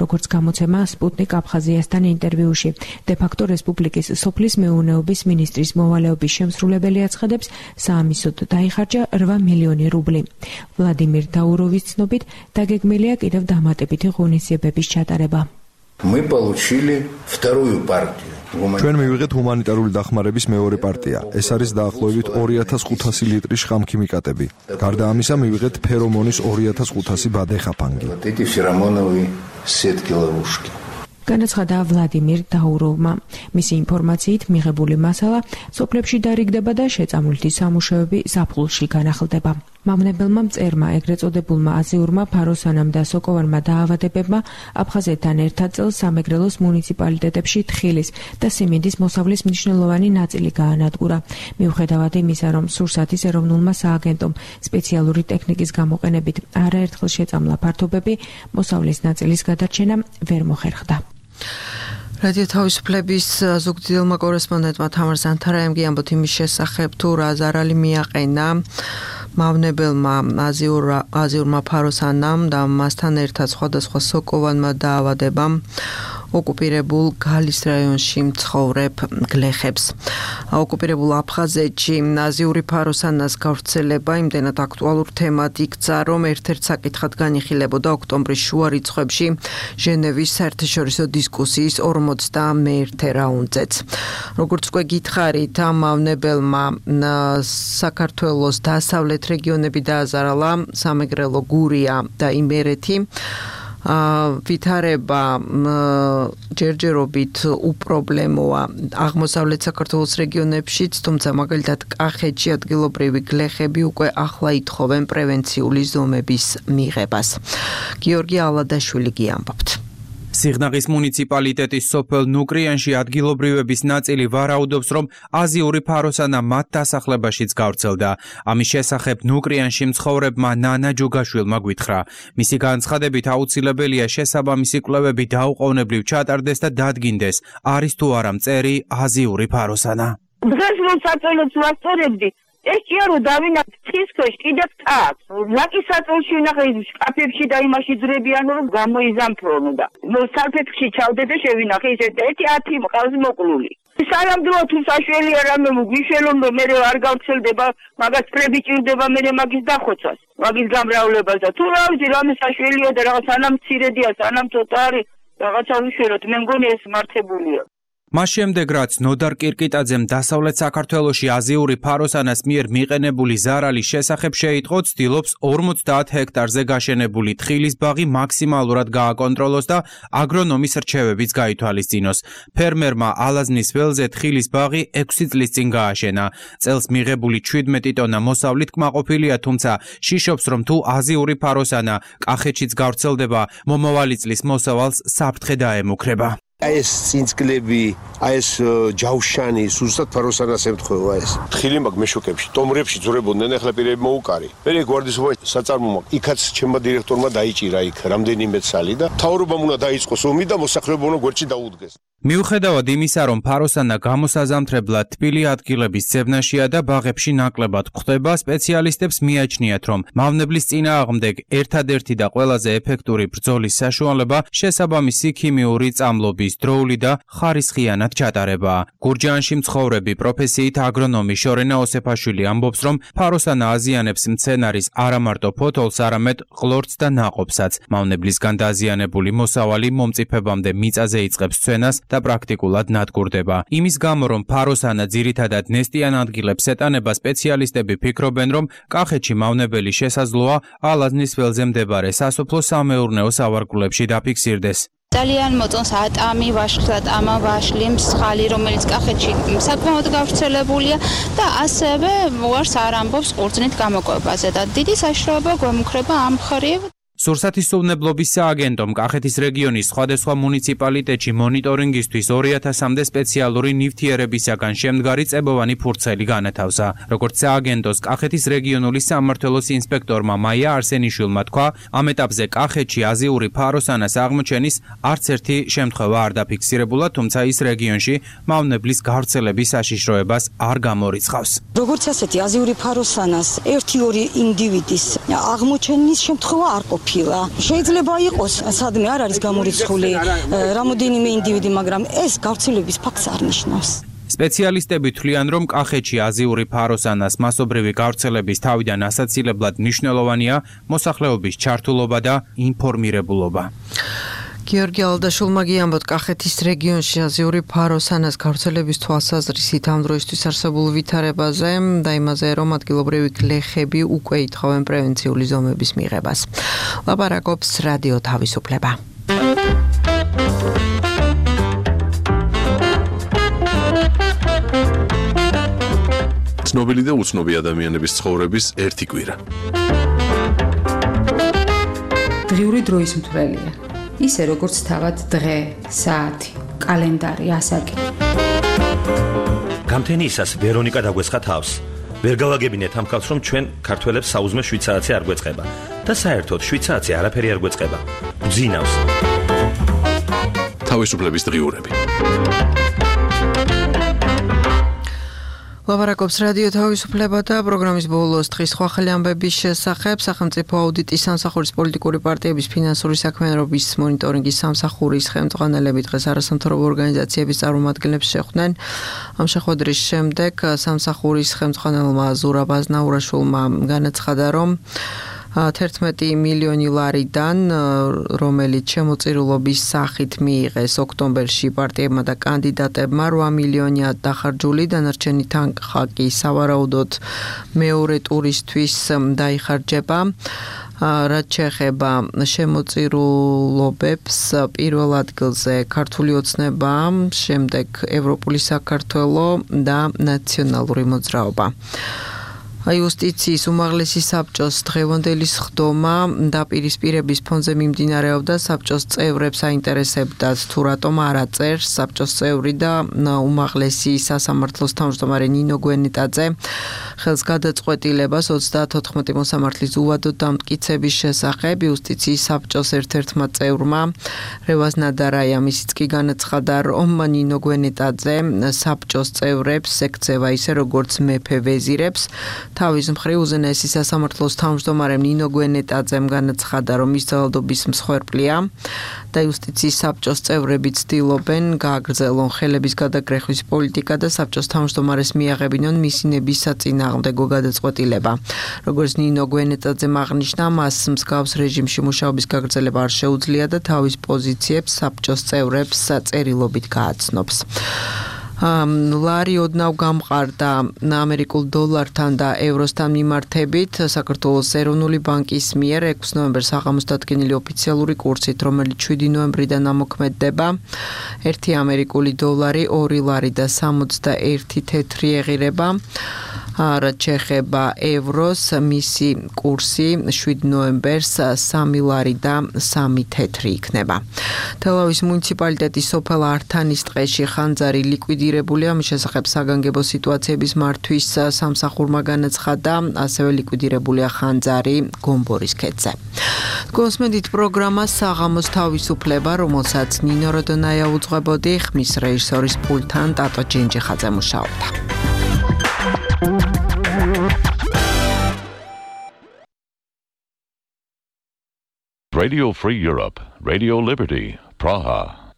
როგორც გამოცემა სპუტნიკ აფხაზიასთან ინტერვიუში დე-ფაქტო რესპუბლიკის სოფლის მეურნეობის მინისტრის მოვალეობის შემსრულებელი აცხადებს, საამისოდ დაიხარჯა 8 მილიონი რუბლი. ვლადიმირ დაუროვის ცნობით, დაგეგმილია კიდევ დამატებითი ღონისძიებების ჩატარება. Мы получили вторую партию. ჩვენ მივიღეთ ჰუმანიტარული დახმარების მეორე პარტია. ეს არის დაახლოებით 2500 ლიტრი შხამქიმიკატები. გარდა ამისა, მივიღეთ ფერომონის 2500 ბადეხაფანგი. Эти феромоновые сетки ловушки. განაცხადა ვლადიმირ დაუროვმა. მისი ინფორმაციით მიღებული მასალა სოფლებში დარიგდება და შეწამლითი სამუშაოები ზაფხულში განახლდება. მავნებელმა მწერმა ეგრეთ წოდებულმა აზიურმა ფაროსანამ და სოკოვანმა დაავადებებმა აფხაზეთთან ერთად წელს სამეგრელოს მუნიციპალიტეტებში თხილის და სიმინდის მოსავლის მნიშვნელოვანი ნაწილი გაანადგურა. მიუხედავად იმისა, რომ სურსათის ეროვნულმა სააგენტომ სპეციალური ტექნიკის გამოყენებით არაერთხელ შეწამლა ფართობები, მოსავლის ნაწილის გადარჩენა ვერ მოხერხდა. რადიო თავისუფლების ზუგდიდელმა კორესპონდენტმა თამარ ზანთარაემგი ამბობთ იმის შესახებ, თუ რა ზარალი მიაყენა მავნებელმა აზიურმა ფაროსანამ და მასთან ერთად სხვადასხვა სოკოვანმა დაავადებამ ოკუპირებულ გალის რაიონში მცხოვრებ გლეხებს. ოკუპირებულ აფხაზეთში აზიური ფაროსანას გავრცელება იმდენად აქტუალურ თემად იქცა, რომ ერთ-ერთ საკითხად განიხილებოდა ოქტომბრის შუა რიცხვებში ჟენევის საერთაშორისო დისკუსიის 51-ე რაუნდზეც. როგორც უკვე გითხარით, ამ მავნებელმა საქართველოს დასავლეთ რეგიონები დააზარალა, სამეგრელო, გურია და იმერეთი. ვითარება ჯერჯერობით უპრობლემოა აღმოსავლეთ საქართველოს რეგიონებშიც, თუმცა მაგალითად კახეთში ადგილობრივი გლეხები უკვე ახლა ითხოვენ პრევენციული ზომების მიღებას. გიორგი ალადაშვილი გიამბობთ. სიღნაღის მუნიციპალიტეტის სოფელ ნუკრიანში ადგილობრივების ნაწილი ვარაუდობს, რომ აზიური ფაროსანა მათ დასახლებაშიც გავრცელდა. ამის შესახებ ნუკრიანში მცხოვრებმა ნანა ჯუგაშვილმა გვითხრა. მისი განცხადებით აუცილებელია შესაბამისი კვლევები დაუყოვნებლივ ჩატარდეს და დადგინდეს, არის თუ არა მწერი აზიური ფაროსანა. დღეს რომ საწოლოც ვასწორებდი, ეს ჭია რომ დავინახე თისქვეშ კიდევ თაც. ლაკის საწოლში ვნახე შკაფებში და იმაში ძრებიან რომ გამოიზამთრონო და სალფეთში ჩავდე და შევინახე ისე 1-10 მყავს მოკლული. სანამდვილო თუ საშველია რამე მგვიშველონ და მე არ გავრცელდება, მაგას ფრები ჭირდება მე მაგის დახოცვას, მაგის გამრავლებას და თუ რა ვიცი რამე საშველია და რაღაც სანამ მცირედია, სანამ ცოტა არის რაღაცა უშველოთ, მე მგონი ეს მართებულია. მას შემდეგ რაც ნოდარ კირკიტაძემ დასავლეთ საქართველოში აზიური ფაროსანას მიერ მიყენებული ზარალის შესახებ შეიტყო, ცდილობს 50 ჰექტარზე გაშენებული თხილის ბაღი მაქსიმალურად გააკონტროლოს და აგრონომის რჩევებიც გაითვალისწინოს. ფერმერმა ალაზნის ველზე თხილის ბაღი 6 წლის წინ გააშენა. წელს მიღებული 17 ტონა მოსავლით კმაყოფილია, თუმცა შიშობს, რომ თუ აზიური ფაროსანა კახეთშიც გავრცელდება, მომავალი წლის მოსავალს საფრთხე დაემუქრება. ეს წინწკლები, ეს ჯავშანი, სუსტად ფაროსანას ემთხვევა ეს. თხილი მაგ მეშოკებში, ტომრებში ძურებოდნენ, ახლა პირები მოუკარი. მე გვარდისობა საწარმომა, იქაც ჩემმა დირექტორმა დაიჭირა იქ რამდენიმე ცალი და მთავრობამ უნდა დაიწყოს ომი და მოსახლეობა უნდა გვერდში დაუდგეს. მიუხედავად იმისა, რომ ფაროსანა გამოსაზამთრებლად თბილი ადგილების ძებნაშია და ბაღებში ნაკლებად გვხვდება, სპეციალისტებს მიაჩნიათ, რომ მავნებლის წინააღმდეგ ერთადერთი და ყველაზე ეფექტური ბრძოლის საშუალება შესაბამისი ქიმიური წამლობის დროული და ხარისხიანად ჩატარება. გურჯაანში მცხოვრები პროფესიით აგრონომი შორენა ოსეფაშვილი ამბობს, რომ ფაროსანა აზიანებს მცენარის არა მარტო ფოთოლს, არამედ ყლორტს და ნაყოფსაც. მავნებლისგან დაზიანებული მოსავალი მომწიფებამდე მიწაზე იწყებს ცვენას და პრაქტიკულად ნადგურდება. იმის გამო, რომ ფაროსანა ძირითადად ნესტიან ადგილებს ეტანება, სპეციალისტები ფიქრობენ, რომ კახეთში მავნებელი შესაძლოა ალაზნის ველზე მდებარე სასოფლო-სამეურნეო სავარგულებში დაფიქსირდეს. ძალიან მოწონს ატამი, ვაშხლატამა, ვაშლი, მსხალი, რომელიც კახეთში საკმაოდ გავრცელებულია და ასევე უარს არ ამბობს ყურძნით გამოკვებაზე და დიდი საშიშროება გვემუქრება ამ მხრივ. სურსათისმცოდნებლობის სააგენტომ კახეთის რეგიონის სხვადასხვა მუნიციპალიტეტში მონიტორინგისთვის 2000-მდე სპეციალური ნივთიერებისაგან შემდგარი წებოვანი ფურცელი განათავსა. როგორც სააგენტოს კახეთის რეგიონული სამმართველოს ინსპექტორმა მაია არსენიშვილმა თქვა, ამ ეტაპზე კახეთში აზიური ფაროსანას აღმოჩენის არც ერთი შემთხვევა არ დაფიქსირებულა, თუმცა ის რეგიონში მავნებლის გავრცელების საშიშროებას არ გამორიცხავს. როგორც ასეთი აზიური ფაროსანას 1-2 ინდივიდის აღმოჩენის შემთხვევა არ ყოფილა. შეიძლება იყოს სადმე არ არის გამორიცხული რამოდენიმე ინდივიდი, მაგრამ ეს გავრცელების ფაქტს არ ნიშნავს. სპეციალისტები თვლიან, რომ კახეთში აზიური ფაროსანას მასობრივი გავრცელების თავიდან ასაცილებლად მნიშვნელოვანია მოსახლეობის ჩართულობა და ინფორმირებულობა. გიორგი ალდაშულმა გიამბოთ, კახეთის რეგიონში აზიური ფაროსანას გავრცელების თვალსაზრისით ამ დროისთვის არსებულ ვითარებაზე და იმაზე, რომ ადგილობრივი გლეხები უკვე ითხოვენ პრევენციული ზომების მიღებას. ლაპარაკობს რადიო თავისუფლება. ცნობილი და უცნობი ადამიანების ცხოვრების ერთი კვირა. დღიური დროის მთვრელია. ისე როგორც თავად დღე, საათი, კალენდარი, ასაკი. გამთენიისას ვერონიკა დაგვესხა თავს. ვერ გავაგებინეთ ამ ხალხს, რომ ჩვენ ქართველებს საუზმე 7 საათი არ გვეწყება და საერთოდ 7 საათი არაფერი არ გვეწყება. გძინავს. თავისუფლების დღიურები. ლაპარაკობს რადიო თავისუფლება და პროგრამის ბოლოს დღის სხვა ახალი ამბების შესახებ. სახელმწიფო აუდიტის სამსახურის პოლიტიკური პარტიების ფინანსური საქმიანობის მონიტორინგის სამსახურის ხელმძღვანელები დღეს არასამთავრობო ორგანიზაციების წარმომადგენლებს შეხვდნენ. ამ შეხვედრის შემდეგ სამსახურის ხელმძღვანელმა ზურაბ აზნაურაშვილმა განაცხადა, რომ 11 მილიონი ლარიდან, რომელიც შემოწირულობის სახით მიიღეს ოქტომბერში პარტიებმა და კანდიდატებმა, 8 მილიონია დახარჯული, დანარჩენი თანხა კი სავარაუდოდ მეორე ტურისთვის დაიხარჯება. რაც შეეხება შემოწირულობებს, პირველ ადგილზე ქართული ოცნება, შემდეგ ევროპული საქართველო და ნაციონალური მოძრაობა. იუსტიციის უმაღლესი საბჭოს დღევანდელი სხდომა დაპირისპირების ფონზე მიმდინარეობდა. საბჭოს წევრებს აინტერესებდათ თუ რატომ არ აწერს საბჭოს წევრი და უმაღლესი სასამართლოს თავმჯდომარე ნინო გვენეტაძე ხელს გადაწყვეტილებას 34 მოსამართლის უვადო დამტკიცების შესახებ. იუსტიციის საბჭოს ერთ-ერთმა წევრმა რევაზ ნადარაია მისიც კი განაცხადა, რომ ნინო გვენეტაძე საბჭოს წევრებს ეკცევა ისე როგორც მეფე ვეზირებს, თავის მხრივ უზენაესი სასამართლოს თავმჯდომარემ ნინო გვენეტაძემ განაცხადა, რომ ის ძალადობის მსხვერპლია და იუსტიციის საბჭოს წევრები ცდილობენ გააგრძელონ ხელების გადაგრეხვის პოლიტიკა და საბჭოს თავმჯდომარეს მიაღებინონ მისი ნებისაწინააღმდეგო გადაწყვეტილება. როგორც ნინო გვენეტაძემ აღნიშნა, მას მსგავს რეჟიმში მუშაობის გაგრძელება არ შეუძლია და თავის პოზიციებს საბჭოს წევრებს წერილობით გააცნობს. ლარი ოდნავ გამყარდა ამერიკულ დოლართან და ევროსთან მიმართებით საქართველოს ეროვნული ბანკის მიერ 6 ნოემბერს აღამოს დადგენილი ოფიციალური კურსით, რომელიც 7 ნოემბრიდან ამოქმედდება. 1 ამერიკული დოლარი 2 ლარი და 61 თეთრი ეღირება. რაც შეეხება ევროს, მისი კურსი 7 ნოემბერს 3 ლარი და 3 თეთრი იქნება. თელავის მუნიციპალიტეტის სოფელ ართანის ტყეში ხანძარი ლიკვიდირებულია, მის შესახებ საგანგებო სიტუაციების მართვის სამსახურმა განაცხადა, ასევე ლიკვიდირებულია ხანძარი გომბორის ქედზე. გოსმედით პროგრამა საღამოს თავისუფლება, რომელსაც ნინო როდონაია უძღვებოდი, ხმის რეჟისორის პულტთან ტატო ჯენჯიხაძე მუშაობდა. Radio Free Europe, Radio Liberty, Praha.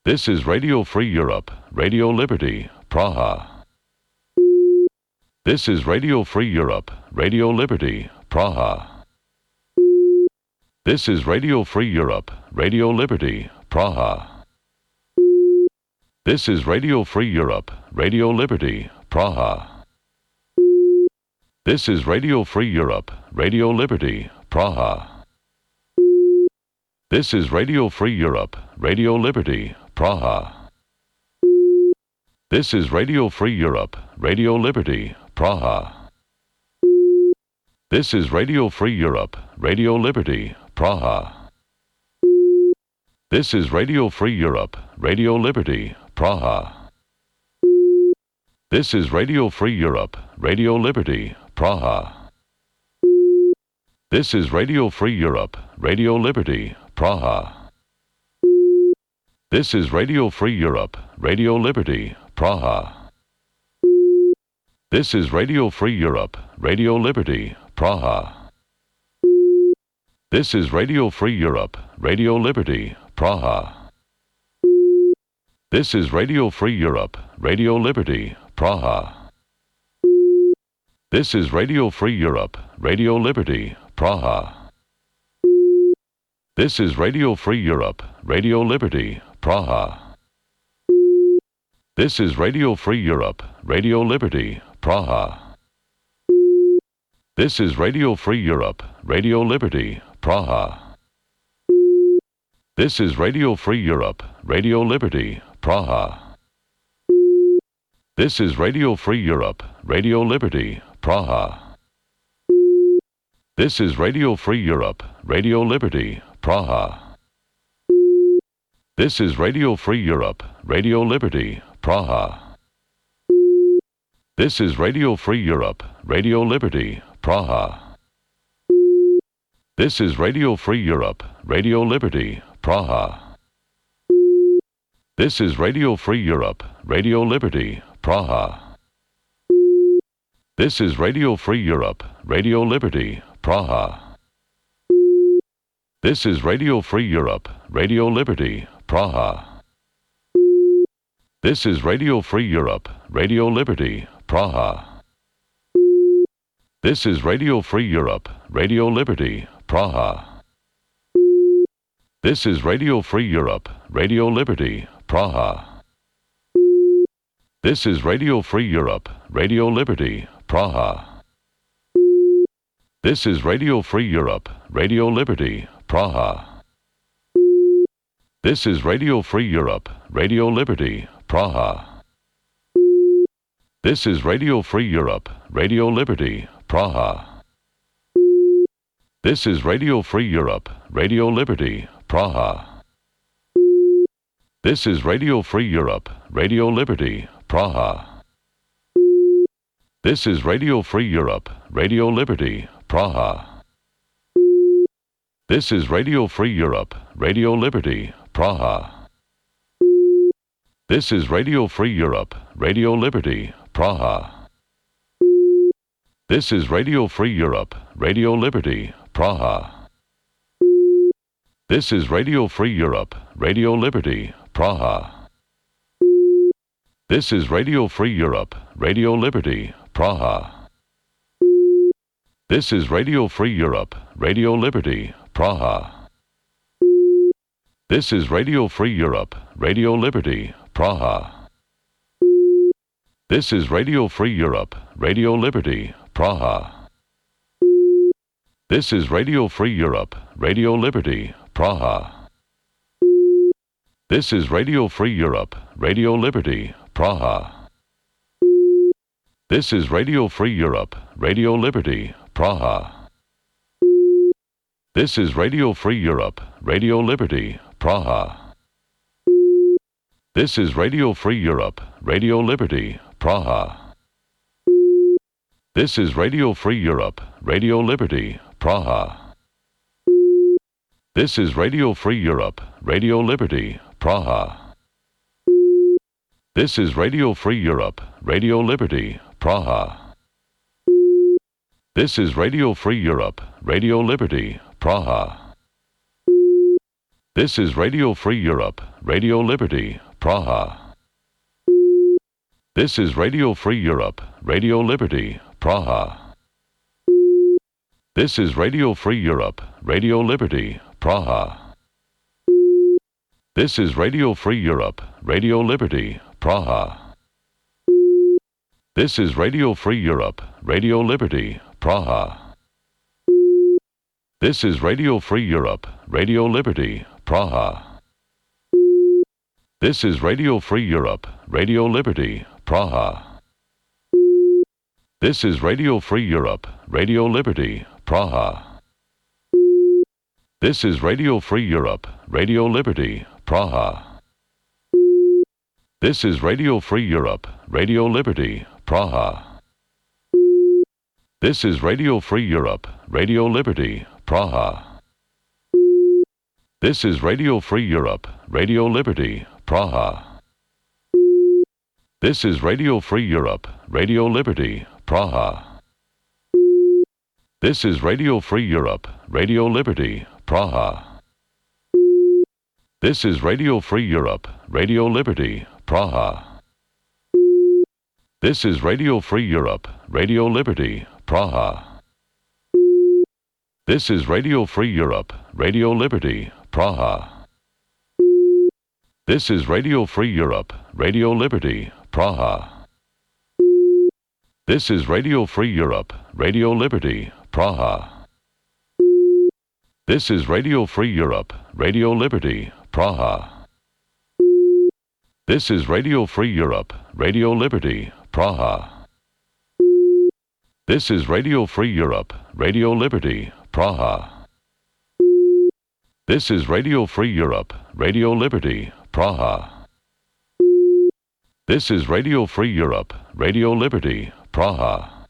This is Radio Free Europe, Radio Liberty, Praha. This is Radio Free Europe, Radio Liberty, Praha. This is Radio Free Europe, Radio Liberty, Praha. This is Radio Free Europe, Radio Liberty, Praha. This is Radio Free Europe, Radio Liberty, Praha. This is Radio Free Europe, Radio Liberty, Praha. This is Radio Free Europe, Radio Liberty, Praha. This is Radio Free Europe, Radio Liberty, Praha. This is Radio Free Europe, Radio Liberty, Praha. This is Radio Free Europe, Radio Liberty, Praha. This is Radio Free Europe, Radio Liberty, Praha. This is Radio Free Europe, Radio Liberty, Praha. This is Radio Free Europe, Radio Liberty, Praha. This is Radio Free Europe, Radio Liberty, Praha. This is Radio Free Europe, Radio Liberty, Praha. This is Radio Free Europe, Radio Liberty, Praha. This is Radio Free Europe, Radio Liberty, Praha. This is Radio Free Europe, Radio Liberty, Praha. This is Radio Free Europe, Radio Liberty, Praha. This is Radio Free Europe, Radio Liberty, Praha. This is Radio Free Europe, Radio Liberty, Praha. This is Radio Free Europe, Radio Liberty, Praha. This is Radio Free Europe, Radio Liberty, Praha. This is Radio Free Europe, Radio Liberty, Praha. This is Radio Free Europe, Radio Liberty, Praha. This is Radio Free Europe, Radio Liberty, Praha. This is Radio Free Europe, Radio Liberty, Praha. This is Radio Free Europe, Radio Liberty, Praha. This is Radio Free Europe, Radio Liberty, Praha. This is Radio Free Europe, Radio Liberty, Praha. This is Radio Free Europe, Radio Liberty, Praha. This is Radio Free Europe, Radio Liberty, Praha. This is Radio Free Europe, Radio Liberty, Praha. This is Radio Free Europe, Radio Liberty, Praha. This is Radio Free Europe, Radio Liberty, Praha. This is Radio Free Europe, Radio Liberty, Praha. This is Radio Free Europe, Radio Liberty, Praha. This is Radio Free Europe, Radio Liberty, Praha. This is Radio Free Europe, Radio Liberty, Praha. This is Radio Free Europe, Radio Liberty, Praha. This is Radio Free Europe, Radio Liberty, Praha. This is Radio Free Europe, Radio Liberty, Praha. This is Radio Free Europe, Radio Liberty, Praha. This is Radio Free Europe, Radio Liberty, Praha. This is Radio Free Europe, Radio Liberty, Praha. This is Radio Free Europe, Radio Liberty, Praha. This is Radio Free Europe, Radio Liberty, Praha. This is Radio Free Europe, Radio Liberty, Praha. This is Radio Free Europe, Radio Liberty, Praha. This is Radio Free Europe, Radio Liberty, Praha. This is Radio Free Europe, Radio Liberty, Praha. This is Radio Free Europe, Radio Liberty, Praha. This is Radio Free Europe, Radio Liberty, Praha. This is Radio Free Europe, Radio Liberty, Praha. This is Radio Free Europe, Radio Liberty, Praha. This is Radio Free Europe, Radio Liberty, Praha. This is Radio Free Europe, Radio Liberty, Praha. This is Radio Free Europe, Radio Liberty, Praha. This is Radio Free Europe, Radio Liberty, Praha. This is Radio Free Europe, Radio Liberty, Praha. This is Radio Free Europe, Radio Liberty, Praha. This is Radio Free Europe, Radio Liberty, Praha. This is Radio Free Europe, Radio Liberty, Praha. This is Radio Free Europe, Radio Liberty, Praha. This is Radio Free Europe, Radio Liberty, Praha. This is Radio Free Europe, Radio Liberty, Praha. This is Radio Free Europe, Radio Liberty, Praha. This is Radio Free Europe, Radio Liberty, Praha. This is Radio Free Europe, Radio Liberty, Praha. This is Radio Free Europe, Radio Liberty, Praha. This is Radio Free Europe, Radio Liberty, Praha. This is Radio Free Europe, Radio Liberty, Praha. This is Radio Free Europe, Radio Liberty, Praha. This is Radio Free Europe, Radio Liberty, Praha. This is Radio Free Europe, Radio Liberty, Praha. This is Radio Free Europe, Radio Liberty, Praha. This is Radio Free Europe, Radio Liberty, Praha. This is Radio Free Europe, Radio Liberty, Praha. This is Radio Free Europe, Radio Liberty, Praha.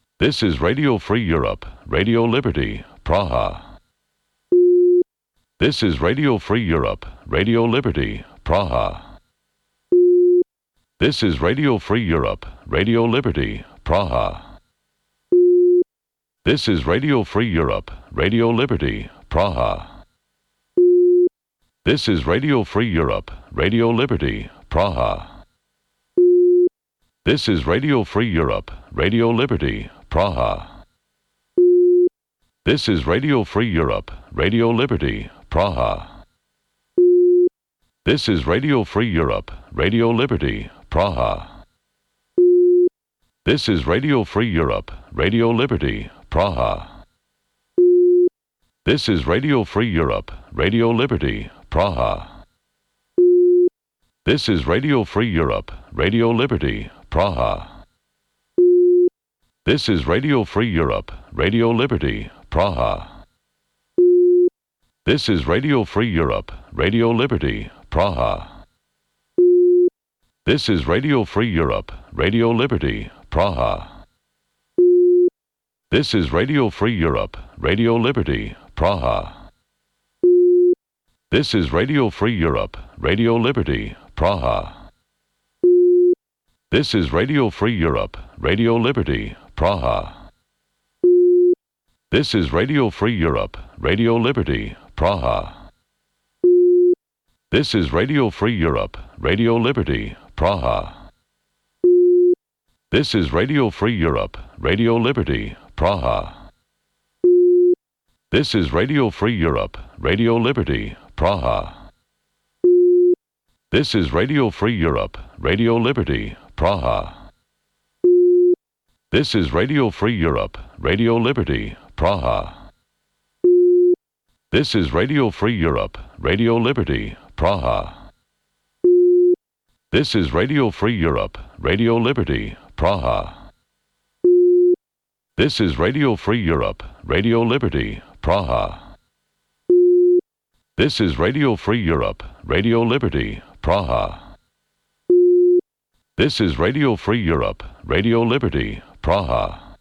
This is Radio Free Europe, Radio Liberty, Praha. This is Radio Free Europe, Radio Liberty, Praha. This is Radio Free Europe, Radio Liberty, Praha. This is Radio Free Europe, Radio Liberty, Praha. This is Radio Free Europe, Radio Liberty, Praha. This is Radio Free Europe, Radio Liberty, Praha. This is Radio Free Europe, Radio Liberty, Praha. This is Radio Free Europe, Radio Liberty, Praha. This is Radio Free Europe, Radio Liberty, Praha. This is Radio Free Europe, Radio Liberty, Praha. This is Radio Free Europe, Radio Liberty, Praha. This is Radio Free Europe, Radio Liberty, Praha. This is Radio Free Europe, Radio Liberty, Praha. This is Radio Free Europe, Radio Liberty, Praha. This is Radio Free Europe, Radio Liberty, Praha. This is Radio Free Europe, Radio Liberty, Praha. This is Radio Free Europe, Radio Liberty, Praha. This is Radio Free Europe, Radio Liberty, Praha. This is Radio Free Europe, Radio Liberty, Praha. This is Radio Free Europe, Radio Liberty, Praha. This is Radio Free Europe, Radio Liberty, Praha. This is Radio Free Europe, Radio Liberty, Praha. This is Radio Free Europe, Radio Liberty, Praha. This is Radio Free Europe, Radio Liberty, Praha. This is Radio Free Europe, Radio Liberty, Praha. This is Radio Free Europe, Radio Liberty, Praha. This is Radio Free Europe, Radio Liberty, Praha. This is Radio Free Europe, Radio Liberty, Praha.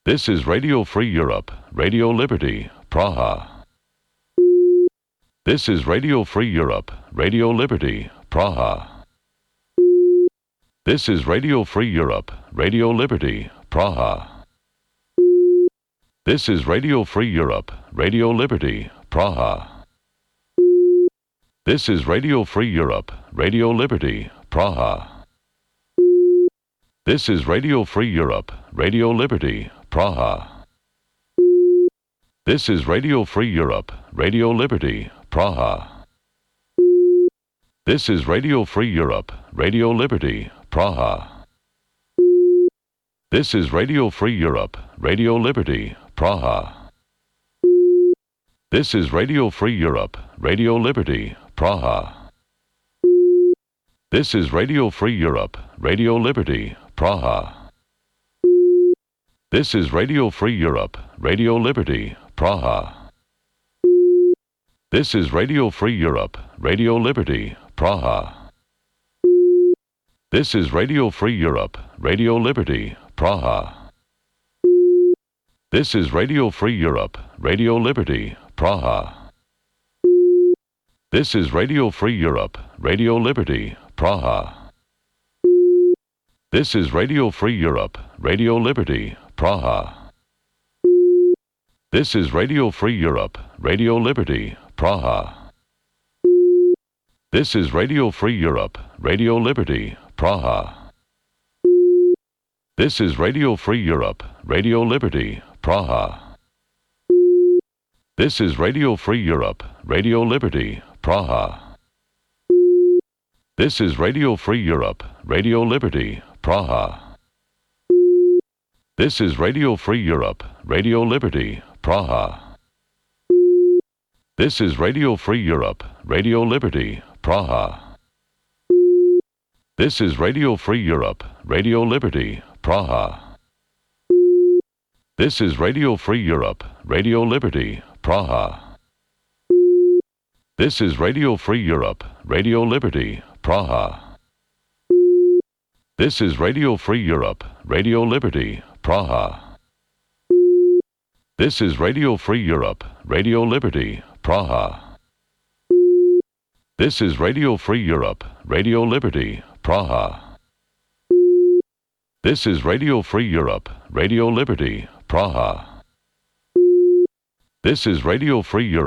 This is Radio Free Europe, Radio Liberty, Praha. This is Radio Free Europe, Radio Liberty, Praha. This is Radio Free Europe, Radio Liberty, Praha. This is Radio Free Europe, Radio Liberty, Praha. This is Radio Free Europe, Radio Liberty, Praha. This is Radio Free Europe, Radio Liberty, Praha. This is Radio Free Europe, Radio Liberty, Praha. This is Radio Free Europe, Radio Liberty, Praha. This is Radio Free Europe, Radio Liberty, Praha. This is Radio Free Europe, Radio Liberty, Praha. This is Radio Free Europe, Radio Liberty, Praha. This is Radio Free Europe, Radio Liberty, Praha. This is Radio Free Europe, Radio Liberty, Praha. This is Radio Free Europe, Radio Liberty, Praha. This is Radio Free Europe, Radio Liberty, Praha. This is Radio Free Europe, Radio Liberty, Praha. This is Radio Free Europe, Radio Liberty, Praha. This is Radio Free Europe, Radio Liberty, Praha. This is Radio Free Europe, Radio Liberty, Praha. This is Radio Free Europe, Radio Liberty, Praha. This is Radio Free Europe, Radio Liberty, Praha. This is Radio Free Europe, Radio Liberty, Praha. This is Radio Free Europe, Radio Liberty, Praha. This is Radio Free Europe, Radio Liberty, Praha. This is Radio Free Europe, Radio Liberty, Praha. This is Radio Free Europe, Radio Liberty, Praha. This is Radio Free Europe, Radio Liberty, Praha. This is Radio Free Europe, Radio Liberty, Praha. This is Radio Free Europe, Radio Liberty, Praha. This is Radio Free Europe, Radio Liberty, Praha. This is Radio Free Europe, Radio Liberty, Praha. This is Radio Free Europe,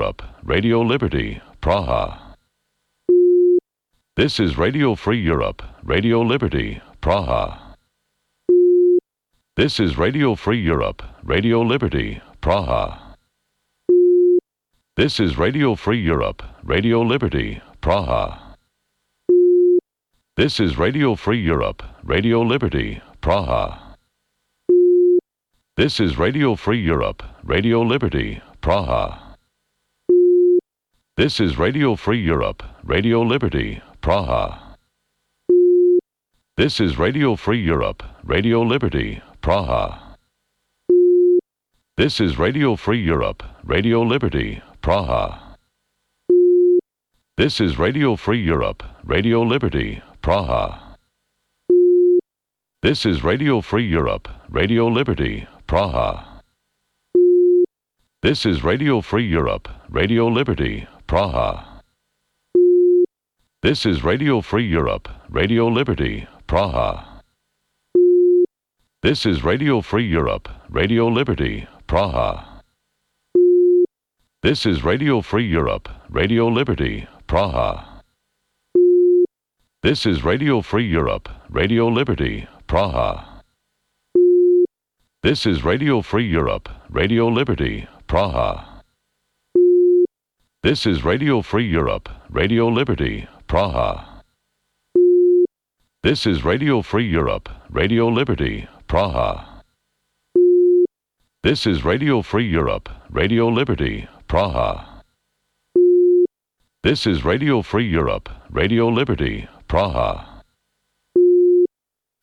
Radio Liberty, Praha. This is Radio Free Europe, Radio Liberty, Praha. This is Radio Free Europe, Radio Liberty, Praha. This is Radio Free Europe, Radio Liberty, Praha. This is Radio Free Europe, Radio Liberty, Praha. This is Radio Free Europe, Radio Liberty, Praha. This is Radio Free Europe, Radio Liberty, Praha. This is Radio Free Europe, Radio Liberty, Praha. This is Radio Free Europe, Radio Liberty, Praha. This is Radio Free Europe, Radio Liberty, Praha. This is Radio Free Europe, Radio Liberty, Praha. This is Radio Free Europe, Radio Liberty, Praha. This is Radio Free Europe, Radio Liberty, Praha. This is Radio Free Europe, Radio Liberty, Praha. This is Radio Free Europe, Radio Liberty, Praha. This is Radio Free Europe, Radio Liberty, Praha. This is Radio Free Europe, Radio Liberty, Praha. This is Radio Free Europe, Radio Liberty, Praha. This is Radio Free Europe, Radio Liberty, Praha. This is Radio Free Europe, Radio Liberty, Praha. This is Radio Free Europe, Radio Liberty, Praha.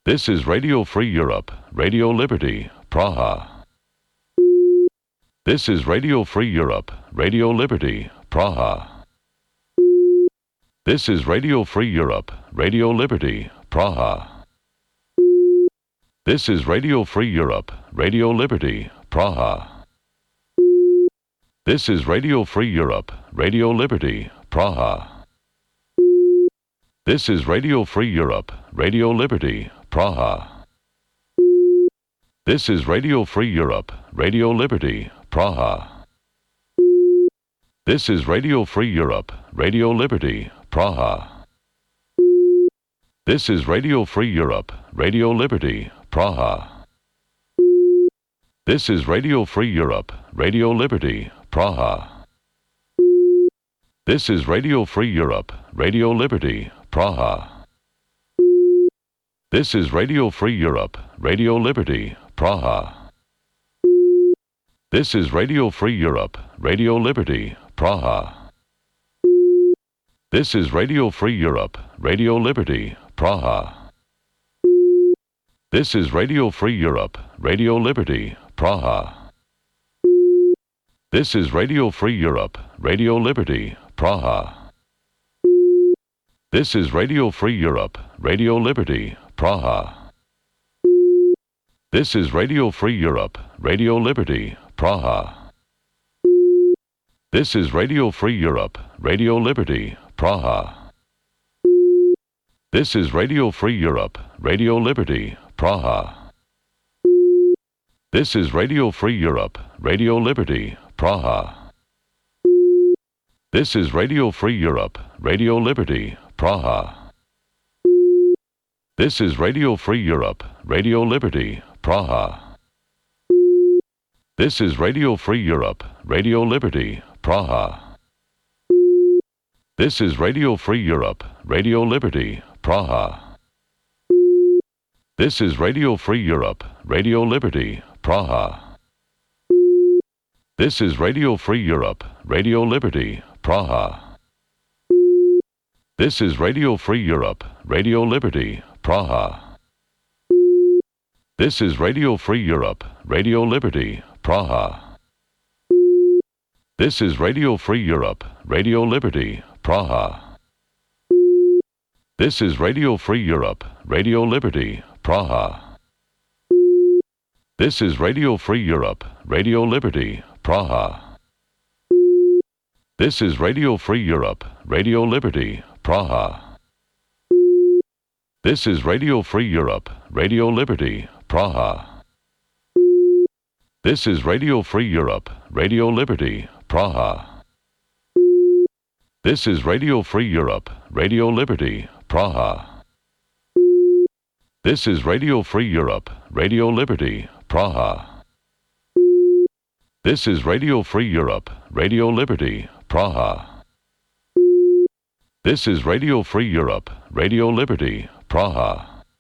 This is Radio Free Europe, Radio Liberty, Praha. This is Radio Free Europe, Radio Liberty, Praha. This is Radio Free Europe, Radio Liberty, Praha. This is Radio Free Europe, Radio Liberty, Praha. This is Radio Free Europe, Radio Liberty, Praha. This is Radio Free Europe, Radio Liberty, Praha. This is Radio Free Europe, Radio Liberty, Praha. This is Radio Free Europe, Radio Liberty, Praha. This is Radio Free Europe, Radio Liberty, Praha. This is Radio Free Europe, Radio Liberty, Praha. This is Radio Free Europe, Radio Liberty, Praha. This is Radio Free Europe, Radio Liberty, Praha. This is Radio Free Europe, Radio Liberty, Praha. This is Radio Free Europe, Radio Liberty, Praha. This is Radio Free Europe, Radio Liberty, Praha. This is Radio Free Europe, Radio Liberty, Praha. This is Radio Free Europe, Radio Liberty, Praha. This is Radio Free Europe, Radio Liberty, Praha. This is Radio Free Europe, Radio Liberty, Praha. This is Radio Free Europe, Radio Liberty, Praha. This is Radio Free Europe, Radio Liberty, Praha. This is Radio Free Europe, Radio Liberty, Praha. This is Radio Free Europe, Radio Liberty, Praha. This is Radio Free Europe, Radio Liberty, Praha. This is Radio Free Europe, Radio Liberty, Praha. This is Radio Free Europe, Radio Liberty, Praha. This is Radio Free Europe, Radio Liberty, Praha. This is Radio Free Europe, Radio Liberty, Praha. This is Radio Free Europe, Radio Liberty, Praha. This is Radio Free Europe, Radio Liberty, Praha. This is Radio Free Europe, Radio Liberty, Praha. This is Radio Free Europe, Radio Liberty, Praha. This is Radio Free Europe, Radio Liberty, Praha. This is Radio Free Europe, Radio Liberty, Praha. This is Radio Free Europe, Radio Liberty, Praha. This is Radio Free Europe, Radio Liberty, Praha. This is Radio Free Europe, Radio Liberty, Praha. This is Radio Free Europe, Radio Liberty, Praha. This is Radio Free Europe, Radio Liberty, Praha.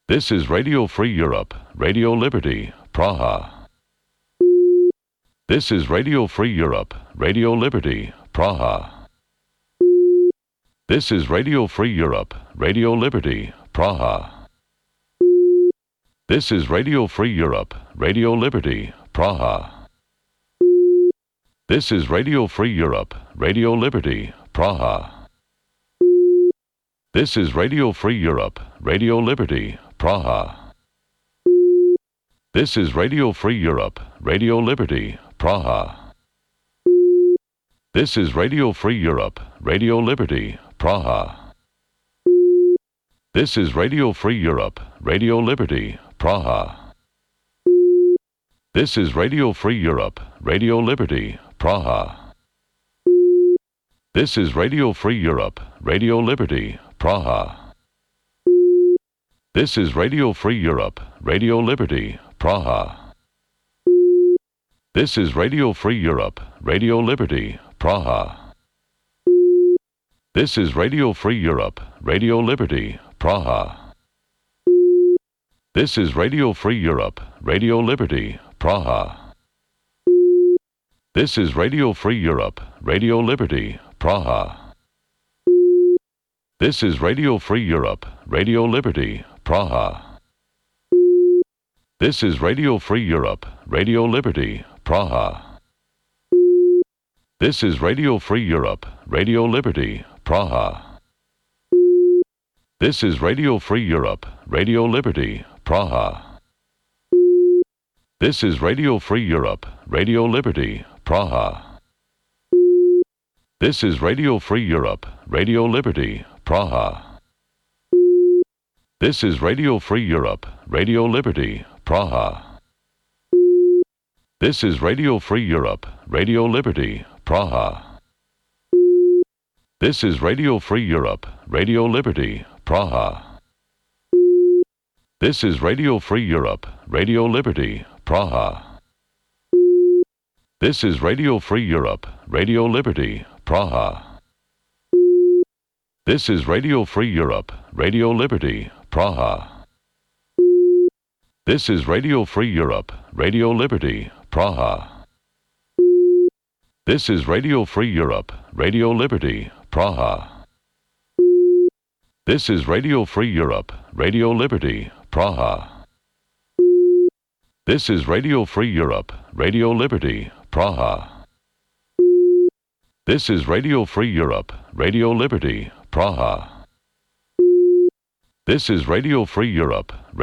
This is Radio Free Europe, Radio Liberty, Praha. This is Radio Free Europe, Radio Liberty, Praha. This is Radio Free Europe, Radio Liberty, Praha. This is Radio Free Europe, Radio Liberty, Praha. This is Radio Free Europe, Radio Liberty, Praha. This is Radio Free Europe, Radio Liberty, Praha. This is Radio Free Europe, Radio Liberty, Praha. This is Radio Free Europe, Radio Liberty, Praha. This is Radio Free Europe, Radio Liberty, Praha. This is Radio Free Europe, Radio Liberty, Praha. This is Radio Free Europe, Radio Liberty, Praha. This is Radio Free Europe, Radio Liberty, Praha. This is Radio Free Europe, Radio Liberty, Praha. This is Radio Free Europe, Radio Liberty, Praha. This is Radio Free Europe, Radio Liberty, Praha. This is Radio Free Europe, Radio Liberty, Praha. This is Radio Free Europe, Radio Liberty, Praha. This is Radio Free Europe, Radio Liberty, Praha. This is Radio Free Europe, Radio Liberty, Praha. This is Radio Free Europe, Radio Liberty, Praha. This is Radio Free Europe, Radio Liberty, Praha. This is Radio Free Europe, Radio Liberty, Praha. This is Radio Free Europe, Radio Liberty, Praha. This is Radio Free Europe, Radio Liberty, Praha. This is Radio Free Europe, Radio Liberty, Praha. This is Radio Free Europe, Radio Liberty, Praha. This is Radio Free Europe, Radio Liberty, Praha. This is Radio Free Europe, Radio Liberty, Praha. This is Radio Free Europe, Radio Liberty, Praha. This is Radio Free Europe, Radio Liberty, Praha. This is Radio Free Europe, Radio Liberty, Praha. This is Radio Free Europe, Radio Liberty, Praha. This is Radio Free Europe, Radio Liberty, Praha. This is Radio Free Europe, Radio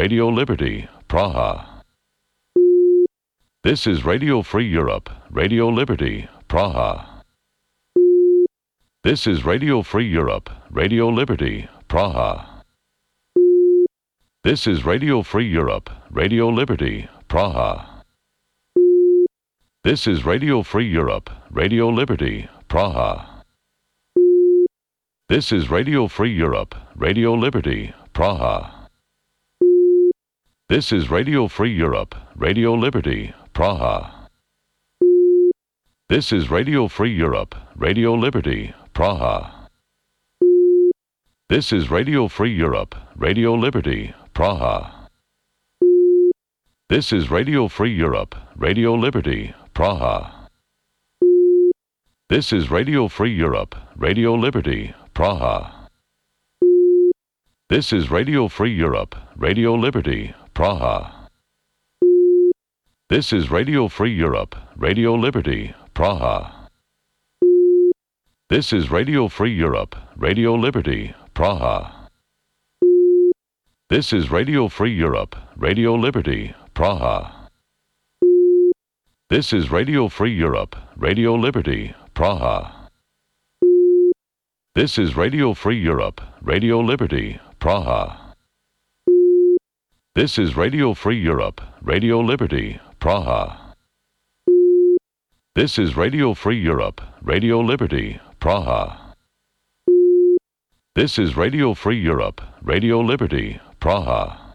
Liberty, Praha. This is Radio Free Europe, Radio Liberty, Praha. This is Radio Free Europe, Radio Liberty, Praha. This is Radio Free Europe, Radio Liberty, Praha. This is Radio Free Europe, Radio Liberty, Praha. This is Radio Free Europe, Radio Liberty, Praha. This is Radio Free Europe, Radio Liberty, Praha. This is Radio Free Europe, Radio Liberty, Praha. This is Radio Free Europe, Radio Liberty, Praha. This is Radio Free Europe, Radio Liberty, Praha. This is Radio Free Europe, Radio Liberty, Praha. This is Radio Free Europe, Radio Liberty, Praha. This is Radio Free Europe, Radio Liberty, Praha. This is Radio Free Europe, Radio Liberty, Praha. This is Radio Free Europe, Radio Liberty, Praha. This is Radio Free Europe, Radio Liberty, Praha. This is Radio Free Europe, Radio Liberty, Praha. This is Radio Free Europe, Radio Liberty, Praha. This is Radio Free Europe, Radio Liberty, Praha. This is Radio Free Europe, Radio Liberty, Praha.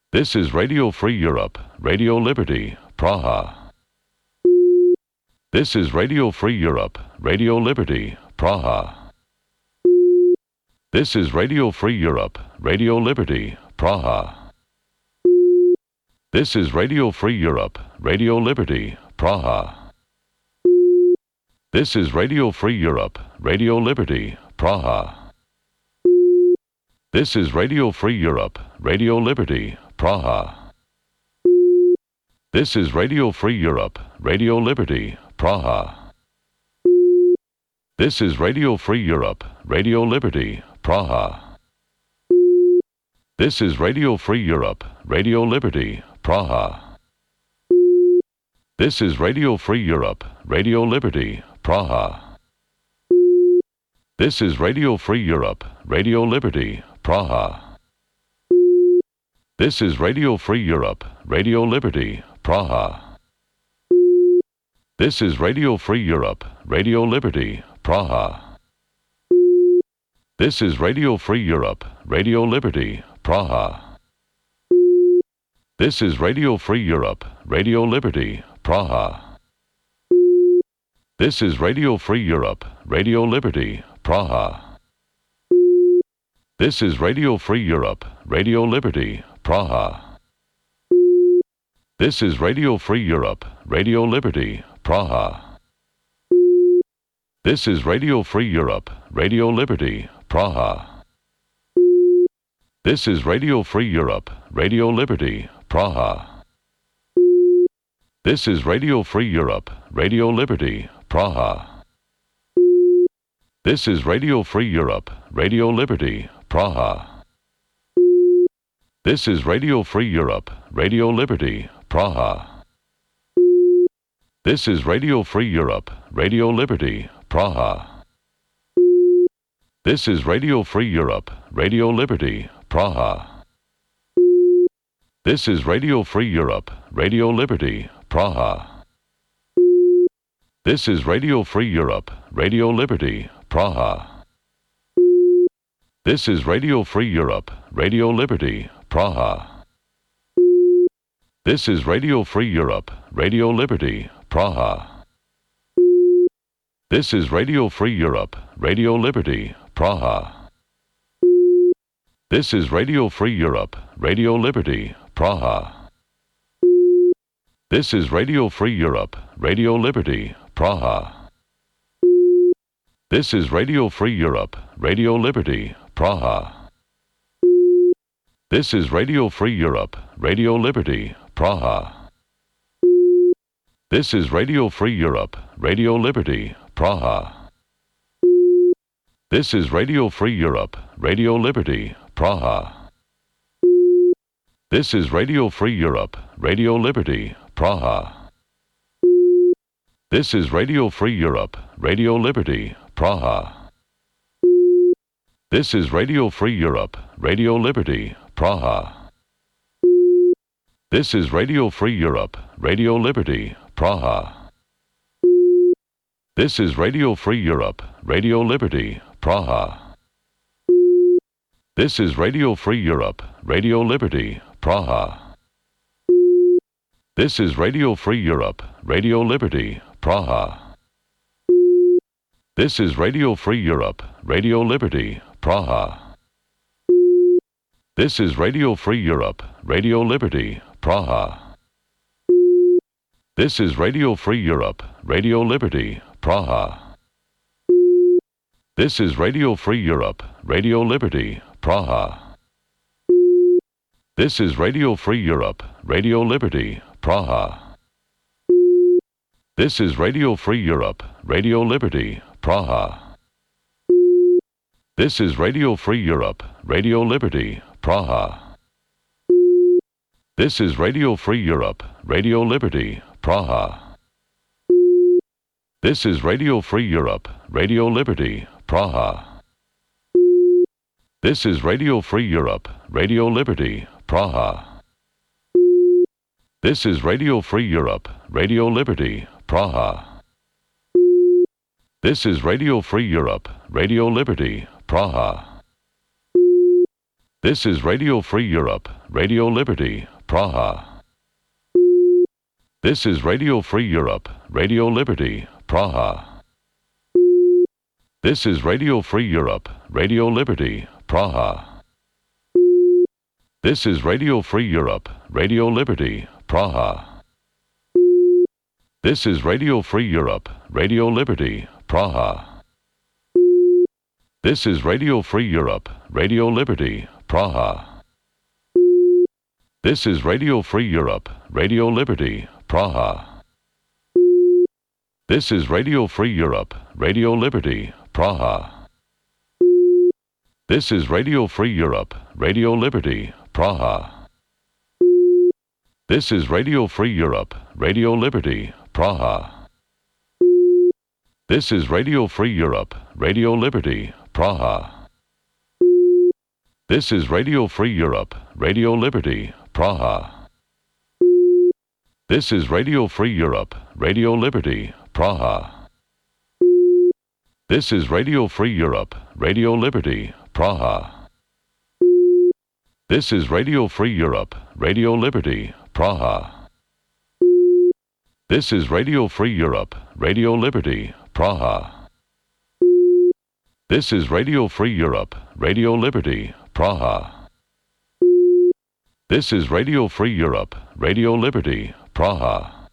This is Radio Free Europe, Radio Liberty, Praha. This is Radio Free Europe, Radio Liberty, Praha. This is Radio Free Europe, Radio Liberty, Praha. This is Radio Free Europe, Radio Liberty, Praha. This is Radio Free Europe, Radio Liberty, Praha. This is Radio Free Europe, Radio Liberty, Praha. This is Radio Free Europe, Radio Liberty, Praha. This is Radio Free Europe, Radio Liberty, Praha. This is Radio Free Europe, Radio Liberty, Praha. This is Radio Free Europe, Radio Liberty, Praha. This is Radio Free Europe, Radio Liberty, Praha. This is Radio Free Europe, Radio Liberty, Praha. This is Radio Free Europe, Radio Liberty, Praha. This is Radio Free Europe, Radio Liberty, Praha. This is Radio Free Europe, Radio Liberty, Praha. This is Radio Free Europe, Radio Liberty, Praha. This is Radio Free Europe, Radio Liberty, Praha. This is Radio Free Europe, Radio Liberty, Praha. This is Radio Free Europe, Radio Liberty, Praha. This is Radio Free Europe, Radio Liberty, Praha. This is Radio Free Europe, Radio Liberty, Praha. This is Radio Free Europe, Radio Liberty, Praha. This is Radio Free Europe, Radio Liberty, Praha. This is Radio Free Europe, Radio Liberty, Praha. This is Radio Free Europe, Radio Liberty, Praha. This is Radio Free Europe, Radio Liberty, Praha. This is Radio Free Europe, Radio Liberty, Praha. This is Radio Free Europe, Radio Liberty, Praha. This is Radio Free Europe, Radio Liberty, Praha. This is Radio Free Europe, Radio Liberty, Praha. This is Radio Free Europe, Radio Liberty, Praha. This is Radio Free Europe, Radio Liberty, Praha. This is Radio Free Europe, Radio Liberty, Praha. This is Radio Free Europe, Radio Liberty, Praha. This is Radio Free Europe, Radio Liberty, Praha. This is Radio Free Europe, Radio Liberty, Praha. This is Radio Free Europe, Radio Liberty, Praha. This is Radio Free Europe, Radio Liberty, Praha. This is Radio Free Europe, Radio Liberty, Praha. This is Radio Free Europe, Radio Liberty, Praha. This is Radio Free Europe, Radio Liberty, Praha. This is Radio Free Europe, Radio Liberty, Praha. This is Radio Free Europe, Radio Liberty, Praha. This is Radio Free Europe, Radio Liberty, Praha. This is Radio Free Europe, Radio Liberty, Praha. This is Radio Free Europe, Radio Liberty, Praha. This is Radio Free Europe, Radio Liberty, Praha. This is Radio Free Europe, Radio Liberty, Praha. This is Radio Free Europe, Radio Liberty, Praha. This is Radio Free Europe, Radio Liberty, Praha. This is Radio Free Europe, Radio Liberty, Praha. This is Radio Free Europe, Radio Liberty, Praha. This is Radio Free Europe, Radio Liberty, Praha. This is Radio Free Europe, Radio Liberty, Praha. This is Radio Free Europe, Radio Liberty, Praha. This is Radio Free Europe, Radio Liberty, Praha. This is Radio Free Europe, Radio Liberty, Praha. This is Radio Free Europe, Radio Liberty, Praha. This is Radio Free Europe, Radio Liberty, Praha. This is Radio Free Europe, Radio Liberty, Praha. This is Radio Free Europe, Radio Liberty, Praha. This is Radio Free Europe, Radio Liberty, Praha. This is Radio Free Europe, Radio Liberty, Praha. This is Radio Free Europe, Radio Liberty, Praha. This is Radio Free Europe, Radio Liberty, Praha. This is Radio Free Europe, Radio Liberty, Praha. This is Radio Free Europe, Radio Liberty, Praha. This is Radio Free Europe, Radio Liberty, Praha. This is Radio Free Europe, Radio Liberty, Praha. This is Radio Free Europe, Radio Liberty, Praha. This is Radio Free Europe, Radio Liberty, Praha. This is Radio Free Europe, Radio Liberty, Praha. This is Radio Free Europe, Radio Liberty, Praha.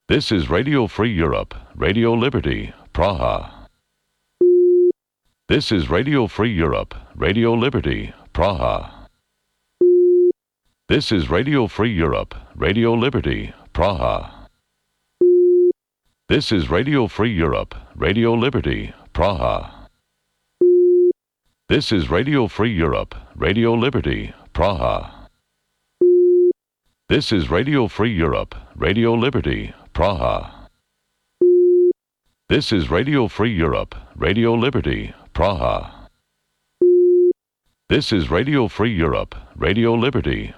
This is Radio Free Europe, Radio Liberty, Praha. This is Radio Free Europe, Radio Liberty, Praha. This is Radio Free Europe, Radio Liberty, Praha. This is Radio Free Europe, Radio Liberty, Praha. This is Radio Free Europe, Radio Liberty, Praha. This is Radio Free Europe, Radio Liberty, Praha. This is Radio Free Europe, Radio Liberty, Praha. This is Radio Free Europe, Radio Liberty,